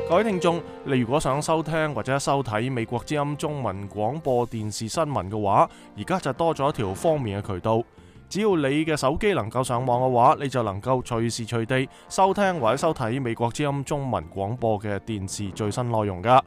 各位聽眾，你如果想收聽或者收睇美國之音中文廣播電視新聞嘅話，而家就多咗一條方便嘅渠道。只要你嘅手機能夠上網嘅話，你就能夠隨時隨地收聽或者收睇美國之音中文廣播嘅電視最新內容噶。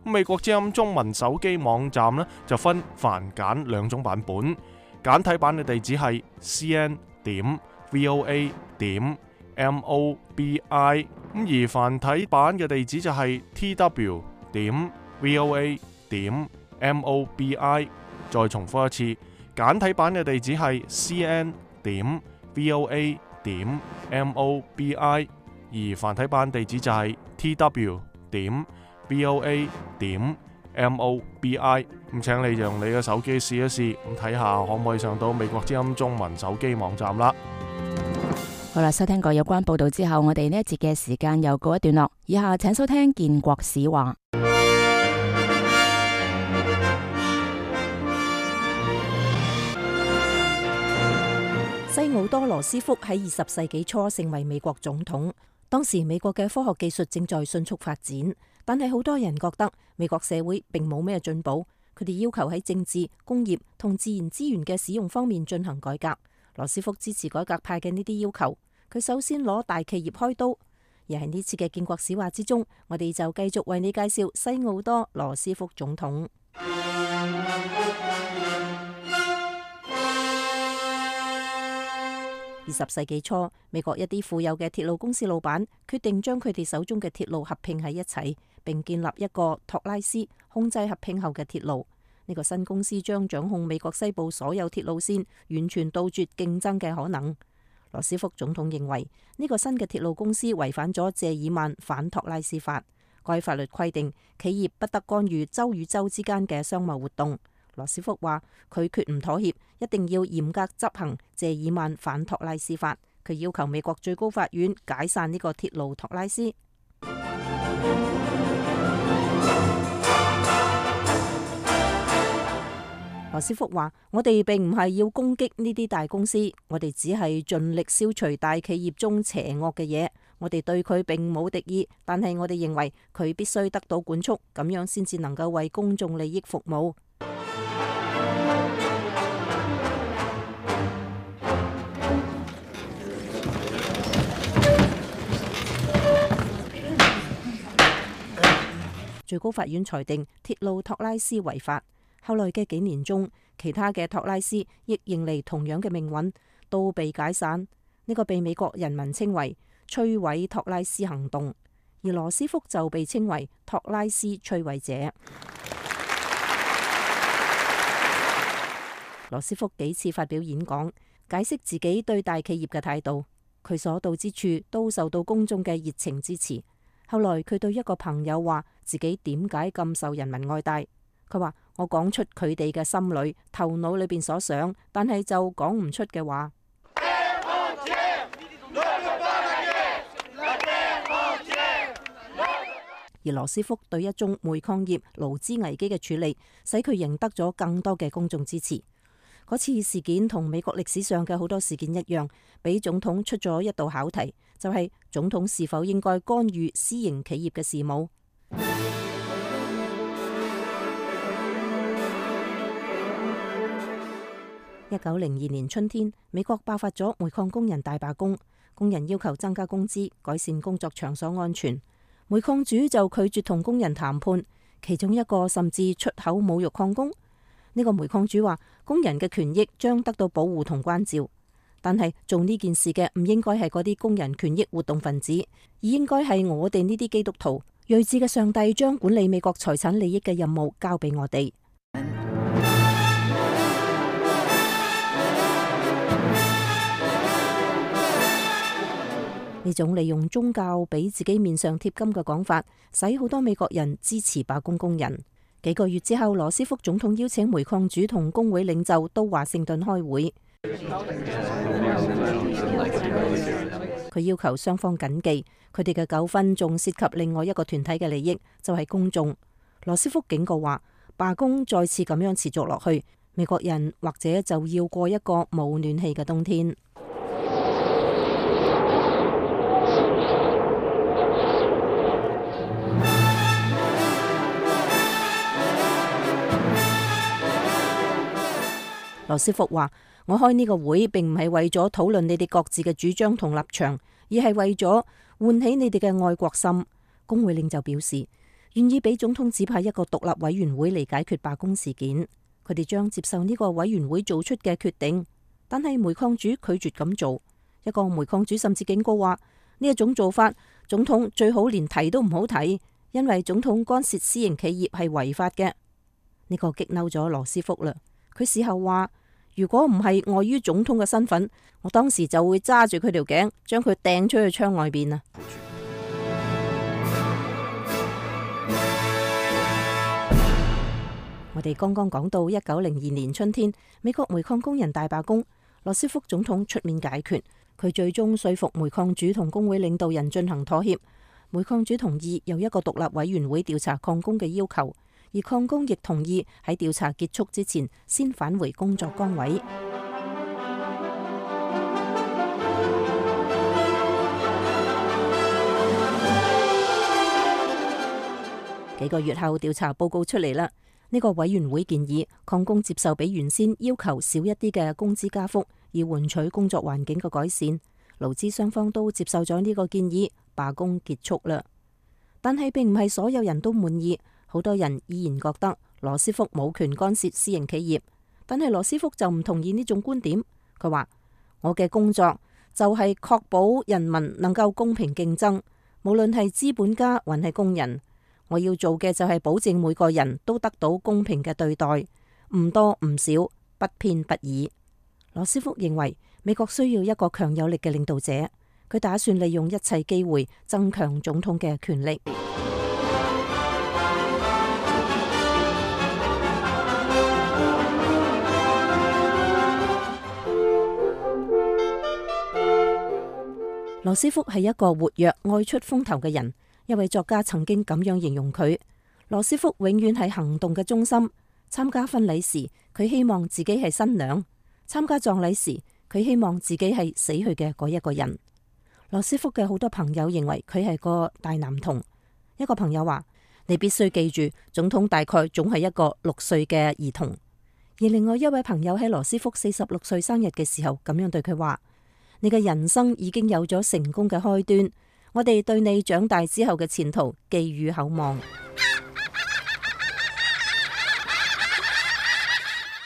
美國之音中文手機網站呢，就分繁簡2種版本，簡體版嘅地址係 cn.voa.mobi， 而繁體版嘅地址就係 tw.voa.mobi。 再重複一次，簡體版嘅地址係 cn.voa.mobi， 而繁體版地址就係 tw.voa.mobi。 咁請你用你嘅手機試一試，咁睇下可唔可以上到美國之音中文手機網站啦。好啦，收聽過有關報道之後，我哋呢一節嘅時間又告一段落。以下請收聽建國史話。西奧多羅斯福喺20世紀初成為美國總統。當時美國嘅科學技術正在迅速發展，但係好多人覺得美國社會並冇咩進步。佢哋要求喺政治、工業同自然資源嘅使用方面進行改革。羅斯福支持改革派嘅呢啲要求，佢首先攞大企業開刀。而喺呢次嘅建國史話之中，我哋就繼續為你介紹西奧多羅斯福總統。20世紀初，美國一啲富有嘅鐵路公司老闆決定將佢哋手中嘅鐵路合併喺一齊，並建立一個托拉斯控制合併後嘅鐵路。呢個新公司將掌控美國西部所有鐵路線，完全杜絕競爭嘅可能。羅斯福總統認為呢個新嘅鐵路公司違反咗謝爾曼反托拉斯法，該法律規定企業不得干預州與州之間嘅商貿活動。羅斯福話佢決唔妥協，一定要嚴格執行謝爾曼反托拉斯法。佢要求美國最高法院解散呢個鐵路托拉斯。羅斯福話：我哋並唔係要攻擊呢啲大公司，我哋只係盡力消除大企業中邪惡嘅嘢。我哋對佢並冇敵意，但係我哋認為佢必須得到管束，咁樣先至能夠為公眾利益服務。最高法院裁定鐵路托拉斯違法。後來嘅幾年中，其他嘅托拉斯亦迎嚟同樣嘅命運，都被解散。呢個被美國人民稱為摧毀托拉斯行動，而羅斯福就被稱為托拉斯摧毀者。羅斯福幾次發表演講，解釋自己對大企業嘅態度，佢所到之處都受到公眾嘅熱情支持。後來佢對一個朋友話自己點解咁受人民愛戴，佢話：我講出佢哋嘅心裏、頭腦裏邊所想，但係就講唔出嘅話。而羅斯福對一宗煤礦業勞資危機嘅處理，使佢贏得咗更多嘅公眾支持。嗰次事件同美國歷史上嘅好多事件一樣，俾總統出咗一道考題，就係總統是否應該干預私營企業嘅事務。1902年春天，美國爆發咗煤礦工人大罷工，工人要求增加工資、改善工作場所安全。煤礦主就拒絕同工人談判，其中一個甚至出口侮辱礦工。呢個煤礦主話，工人嘅權益將得到保護同關照，但係做呢件事嘅唔應該係嗰啲工人權益活動分子，而應該係我哋呢啲基督徒。睿智嘅上帝將管理美國財產利益嘅任務交俾我哋。呢種利用宗教俾自己面上貼金嘅講法，使好多美國人支持罷工工人。幾個月之後，羅斯福總統邀請煤礦主同工會領袖到華盛頓開會，佢要求雙方謹記，佢哋嘅糾紛仲涉及另外一個團體嘅利益，就係公眾。羅斯福警告話，罷工再次咁樣持續落去，美國人或者就要過一個冇暖氣嘅冬天。羅斯福話：我開呢個會並唔係為咗討論你哋各自嘅主張同立場，而係為咗喚起你哋嘅愛國心。工會領袖表示願意俾總統指派一個獨立委員會嚟解決罷工事件，佢哋將接受呢個委員會做出嘅決定。但係煤礦主拒絕咁做，一個煤礦主甚至警告話：呢一種做法，總統最好連提都唔好提，因為總統干涉私營企業係違法嘅。呢個激嬲咗羅斯福啦。佢事後話：如果唔係礙於總統嘅身份，我當時就會揸住佢條頸，將佢掟出去窗外邊啊！我哋剛剛講到1902年春天，美國煤礦工人大罷工，羅斯福總統出面解決，佢最終說服煤礦主同工會領導人進行妥協。煤礦主同意有一個獨立委員會調查礦工嘅要求。而礦工亦同意喺調查結束之前先返回工作崗位。幾個月後，調查報告出嚟啦。呢個委員會建議礦工接受比原先要求少一啲嘅工資加幅，以換取工作環境嘅改善。勞資雙方都接受咗呢個建議，罷工結束啦。但係並唔係所有人都滿意。好多人依然覺得羅斯福冇權干涉私營企業，但係羅斯福就唔同意呢種觀點。佢話：我嘅工作就係確保人民能夠公平競爭，無論係資本家還係工人。我要做嘅就係保證每個人都得到公平嘅對待，唔多唔少，不偏不倚。羅斯福認為美國需要一個強有力嘅領導者，佢打算利用一切機會增強總統嘅權力。羅斯福係一個活躍、愛出風頭嘅人。一位作家曾經咁樣形容佢：羅斯福永遠係行動嘅中心。參加婚禮時，佢希望自己係新娘。參加葬禮時，佢希望自己係死去嘅嗰一個人。羅斯福嘅好多朋友認為佢係個大男童。一個朋友話：你必須記住，總統大概總係一個6歲嘅兒童。而另外一位朋友喺羅斯福46歲生日嘅時候咁樣對佢話：你嘅人生已經有咗成功嘅開端，我哋對你長大之後嘅前途寄予厚望。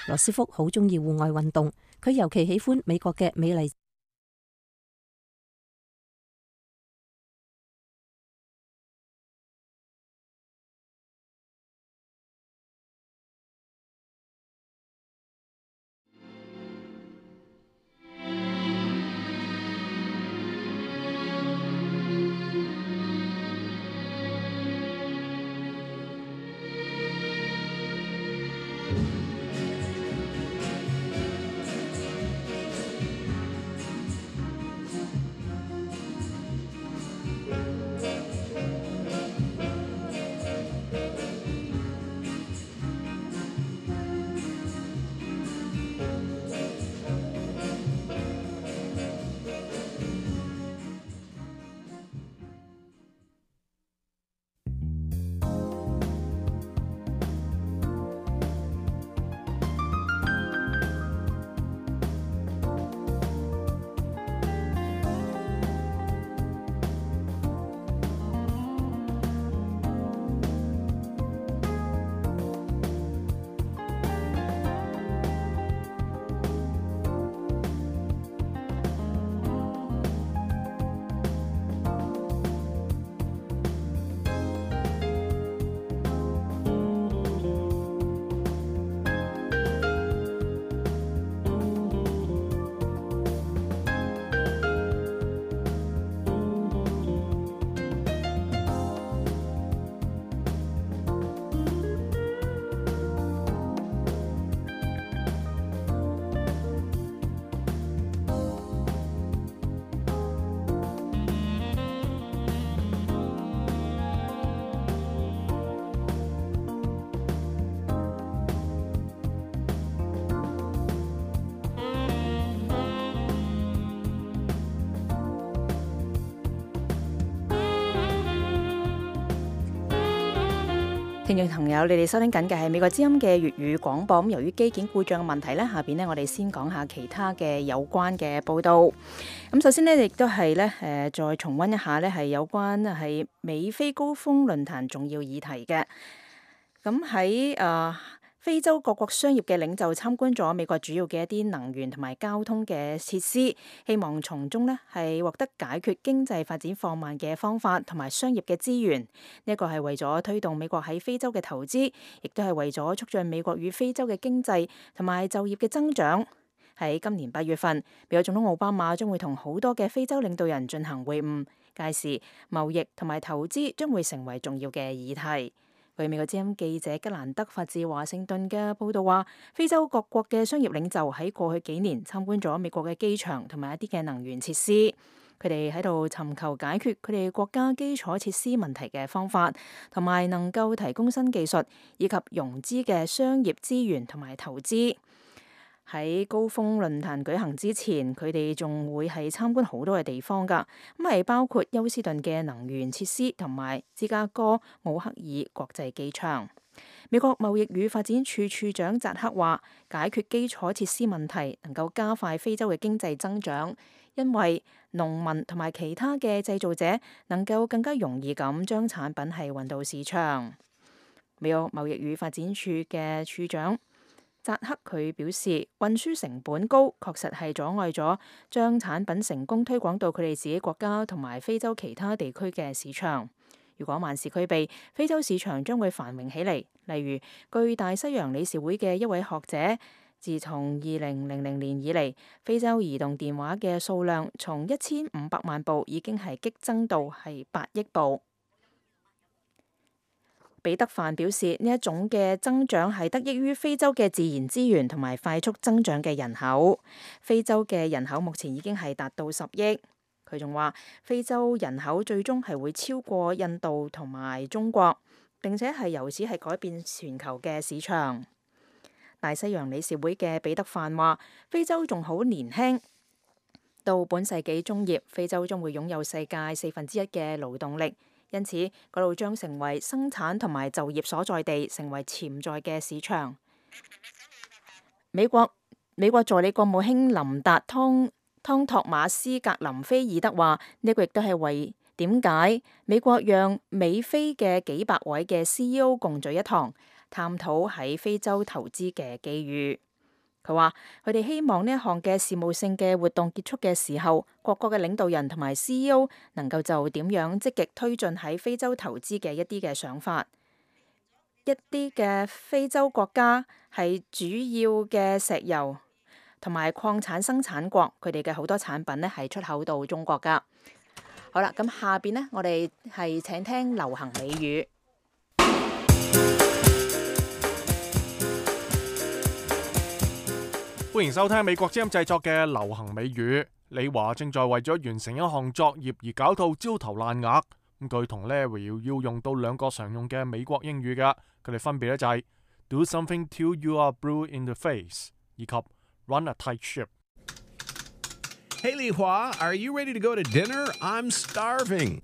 羅斯福好鍾意戶外運動，佢尤其喜歡美國嘅美麗。聽眾朋友，你哋收聽緊嘅係美國之音嘅粵語廣播。咁由於機件故障嘅問題呢，下邊呢我哋先講下其他嘅有關嘅報道。咁首先呢，亦都係呢再重溫一下呢係有關係美非高峰論壇重要議題嘅。咁喺非洲各國商業嘅領袖參觀咗美國主要嘅一啲能源同埋交通嘅設施，希望從中呢係獲得解決經濟發展放慢嘅方法同埋商業嘅資源。呢一個係為咗推動美國喺非洲嘅投資，亦都係為咗促進美國與非洲嘅經濟同埋就業嘅增長。喺今年8月份，美國總統奧巴馬將會同好多嘅非洲領導人進行會晤，屆時貿易同埋投資將會成為重要嘅議題。據美國之音記者吉蘭德發自華盛頓嘅報道話，非洲各國嘅商業領袖喺過去幾年參觀咗美國嘅機場同埋一啲嘅能源設施，佢哋喺度尋求解決佢哋國家基礎設施問題嘅方法，同埋能夠提供新技術以及融資嘅商業資源同埋投資。喺高峰論壇舉行之前，佢哋仲會係參觀好多嘅地方㗎，咁係包括休斯頓嘅能源設施同埋芝加哥奧克爾國際機場。美國貿易與發展處處長扎克話：解決基礎設施問題能夠加快非洲嘅經濟增長，因為農民同埋其他嘅製造者能夠更加容易咁將產品係運到市場。美國貿易與發展處嘅處長扎克佢表示，運輸成本高，確實係阻礙咗將產品成功推廣到佢哋自己國家同埋非洲其他地區嘅市場。如果萬事俱備，非洲市場將會繁榮起嚟。例如，據大西洋理事會嘅一位學者，自從2000年以嚟，非洲移動電話嘅數量從1500萬部已經係激增到係8億部。彼得范表示，呢一種嘅增長係得益於非洲嘅自然資源同埋快速增長嘅人口。非洲嘅人口目前已經係達到10億。佢仲話，非洲人口最終係會超過印度同埋中國，並且係由此係改變全球嘅市場。大西洋理事會嘅彼得範話，非洲仲好年輕，到本世紀中葉，非洲將會擁有世界1/4嘅勞動力，因此嗰度將成為生產同埋就業所在地，成為潛在嘅市場。美國助理國務卿林達湯托馬斯格林菲爾德話：呢個亦都係為點解美國讓美非嘅幾百位嘅 CEO 共聚一堂，探討喺非洲投資嘅機遇。佢話：佢哋希望呢一項嘅事務性嘅活動結束嘅時候，各國嘅領導人同埋 CEO 能夠就點樣積極推進喺非洲投資嘅一啲嘅想法。一啲嘅非洲國家係主要嘅石油同埋礦產生產國，佢哋嘅好多產品呢係出口到中國㗎。好啦，咁下邊呢，我哋係請聽流行美語。歡迎收聽美國之音製作嘅流行美語。李華正在為咗完成一項作業而搞到焦頭爛額。咁佢同 Larry 要用到兩個常用嘅美國英語㗎，佢哋分別咧就係 Do something till you are blue in the face 以及 Run a tight ship。Hey 李華 are you ready to go to dinner? I'm starving。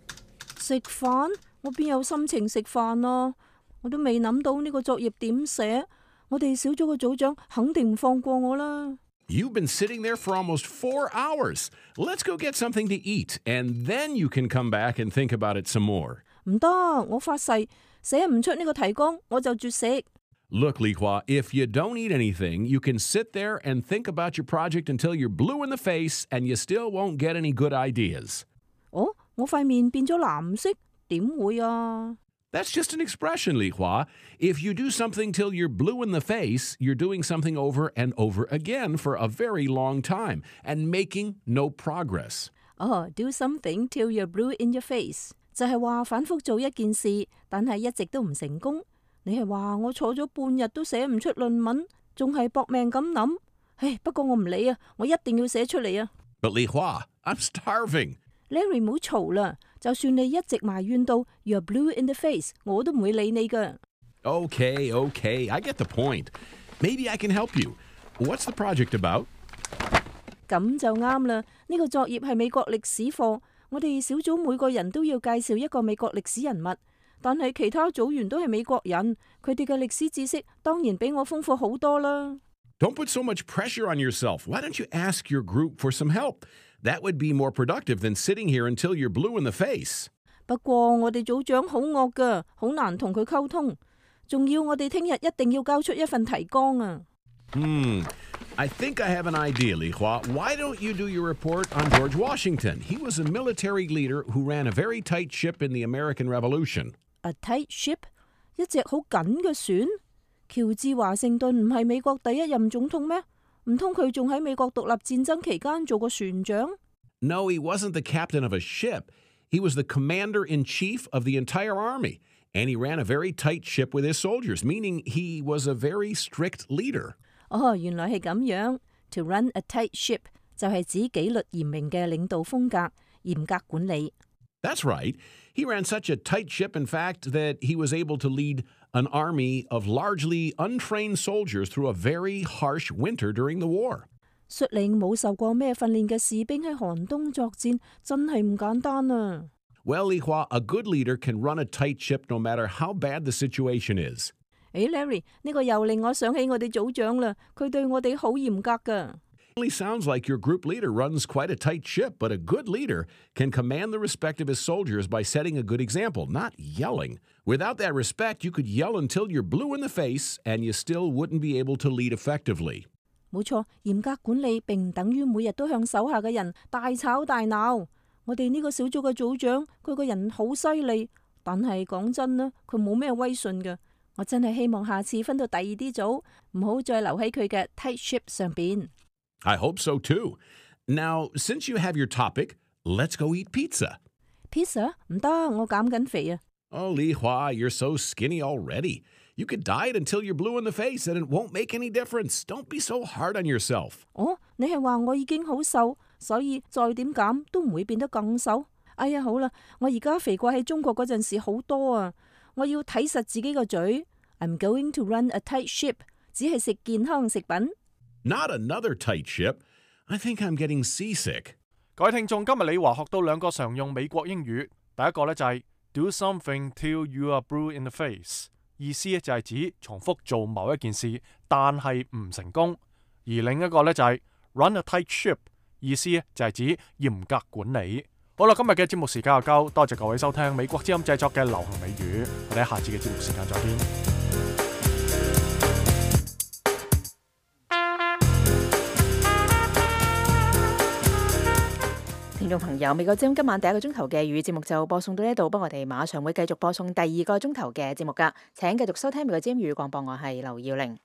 食飯？我邊有心情食飯啊？我都未諗到呢個作業點寫。我哋小組嘅組長肯定唔放過我啦。You've been sitting there for almost 4 hours. Let's go get something to eat, and then you can come back and think about it some more. 唔得，我發誓寫唔出呢個提綱，我就絕食。Look, Li Hua, if you don't eat anything, you can sit there and think about your project until you're blue in the face, and you still won't get any good ideas. 哦，我塊面變咗藍色，點會啊？That's just an expression, Li Hua. If you do something till you're blue in the face, you're doing something over and over again for a very long time and making no progress. Do something till you're blue in your face 就係話反覆做一件事，但係一直都唔成功。你係話我坐咗半日都寫唔出論文，仲係搏命咁諗。唉，不過我唔理啊，我一定要寫出嚟啊。But Li Hua, I'm starving.Larry 唔好嘈啦，就算你一直埋怨到 You're blue in the face， 我都唔會理你噶。Okay, I get the point. Maybe I can help you. What's the project about? 咁就啱啦，呢個作業係美國歷史課，我哋小組每個人都要介紹一個美國歷史人物，但係其他組員都係美國人，佢哋嘅歷史知識當然比我豐富好多啦。Don't put so much pressure on yourself. Why don't you ask your group for some help?That would be more productive than sitting here until you're blue in the face. 不過我哋組長好惡噶，好難同佢溝通，仲要我哋聽日一定要交出一份提綱啊。I think I have an idea, Li Hua. Why don't you do your report on George Washington? He was a military leader who ran a very tight ship in the American Revolution. A tight ship？ 一隻好緊嘅船？喬治華盛頓唔係美國第一任總統咩？唔通佢仲喺美國獨立戰爭期間做過船長？ No, he wasn't the captain of a ship. He was the commander-in-chief of the entire army, and he ran a very tight ship with his soldiers, meaning he was a very strict leader. 原來係咁樣。To run a tight ship 就係指紀律嚴明嘅領導風格，嚴格管理。That's right. He ran such a tight ship, in fact, that he was able to lead an army of largely untrained soldiers through a very harsh winter during the war. 率領冇受過咩訓練嘅士兵喺寒冬作戰，真係唔簡單啊。Well, Li Hua, a good leader can run a tight ship no matter how bad the situation is. Larry, 呢個又令我想起我哋組長啦，佢對我哋好嚴格㗎。It really sounds like your group leader runs quite a tight ship, but a good leader can command the respect of his soldiers by setting a good example, not yelling. Without that respect, you could yell until you're blue in the face, and you still wouldn't be able to lead effectively. 冇錯，嚴格管理並唔等於每日都向手下嘅人大吵大鬧。我哋呢個小組嘅組長，佢個人好犀利，但係講真啦，佢冇咩威信㗎。我真係希望下次分到第二啲組，唔好再留喺佢嘅 tight ship 上邊。I hope so too. Now, since you have your topic, let's go eat pizza. Pizza? 唔得，我減緊肥啊。Oh, Li Hua, you're so skinny already. You could diet until you're blue in the face and it won't make any difference. Don't be so hard on yourself. 你係話我已經好瘦，所以再點減都唔會變得更瘦？哎呀，好啦，我而家肥過喺中國嗰陣時好多啊！我要睇實自己個嘴。I'm going to run a tight ship 只係食健康食品。Not another tight ship. I think I'm getting seasick. 各位聽眾，今日李華學到兩個常用美國英語。第一個呢就係 do something till you are blue in the face， 意思就係指重複做某一件事，但係唔成功。而另一個呢就係 run a tight ship， 意思就係指嚴格管理。好啦，今日嘅節目時間又夠，多謝各位收聽美國之音製作嘅流行美語，我哋喺下次嘅節目時間再見。聽眾朋友，美國之音今晚第一個鐘頭嘅粵語節目就播送到呢度，不過我哋馬上會繼續播送第二個鐘頭嘅節目㗎，請繼續收聽美國之音粵語廣播，我係劉耀玲。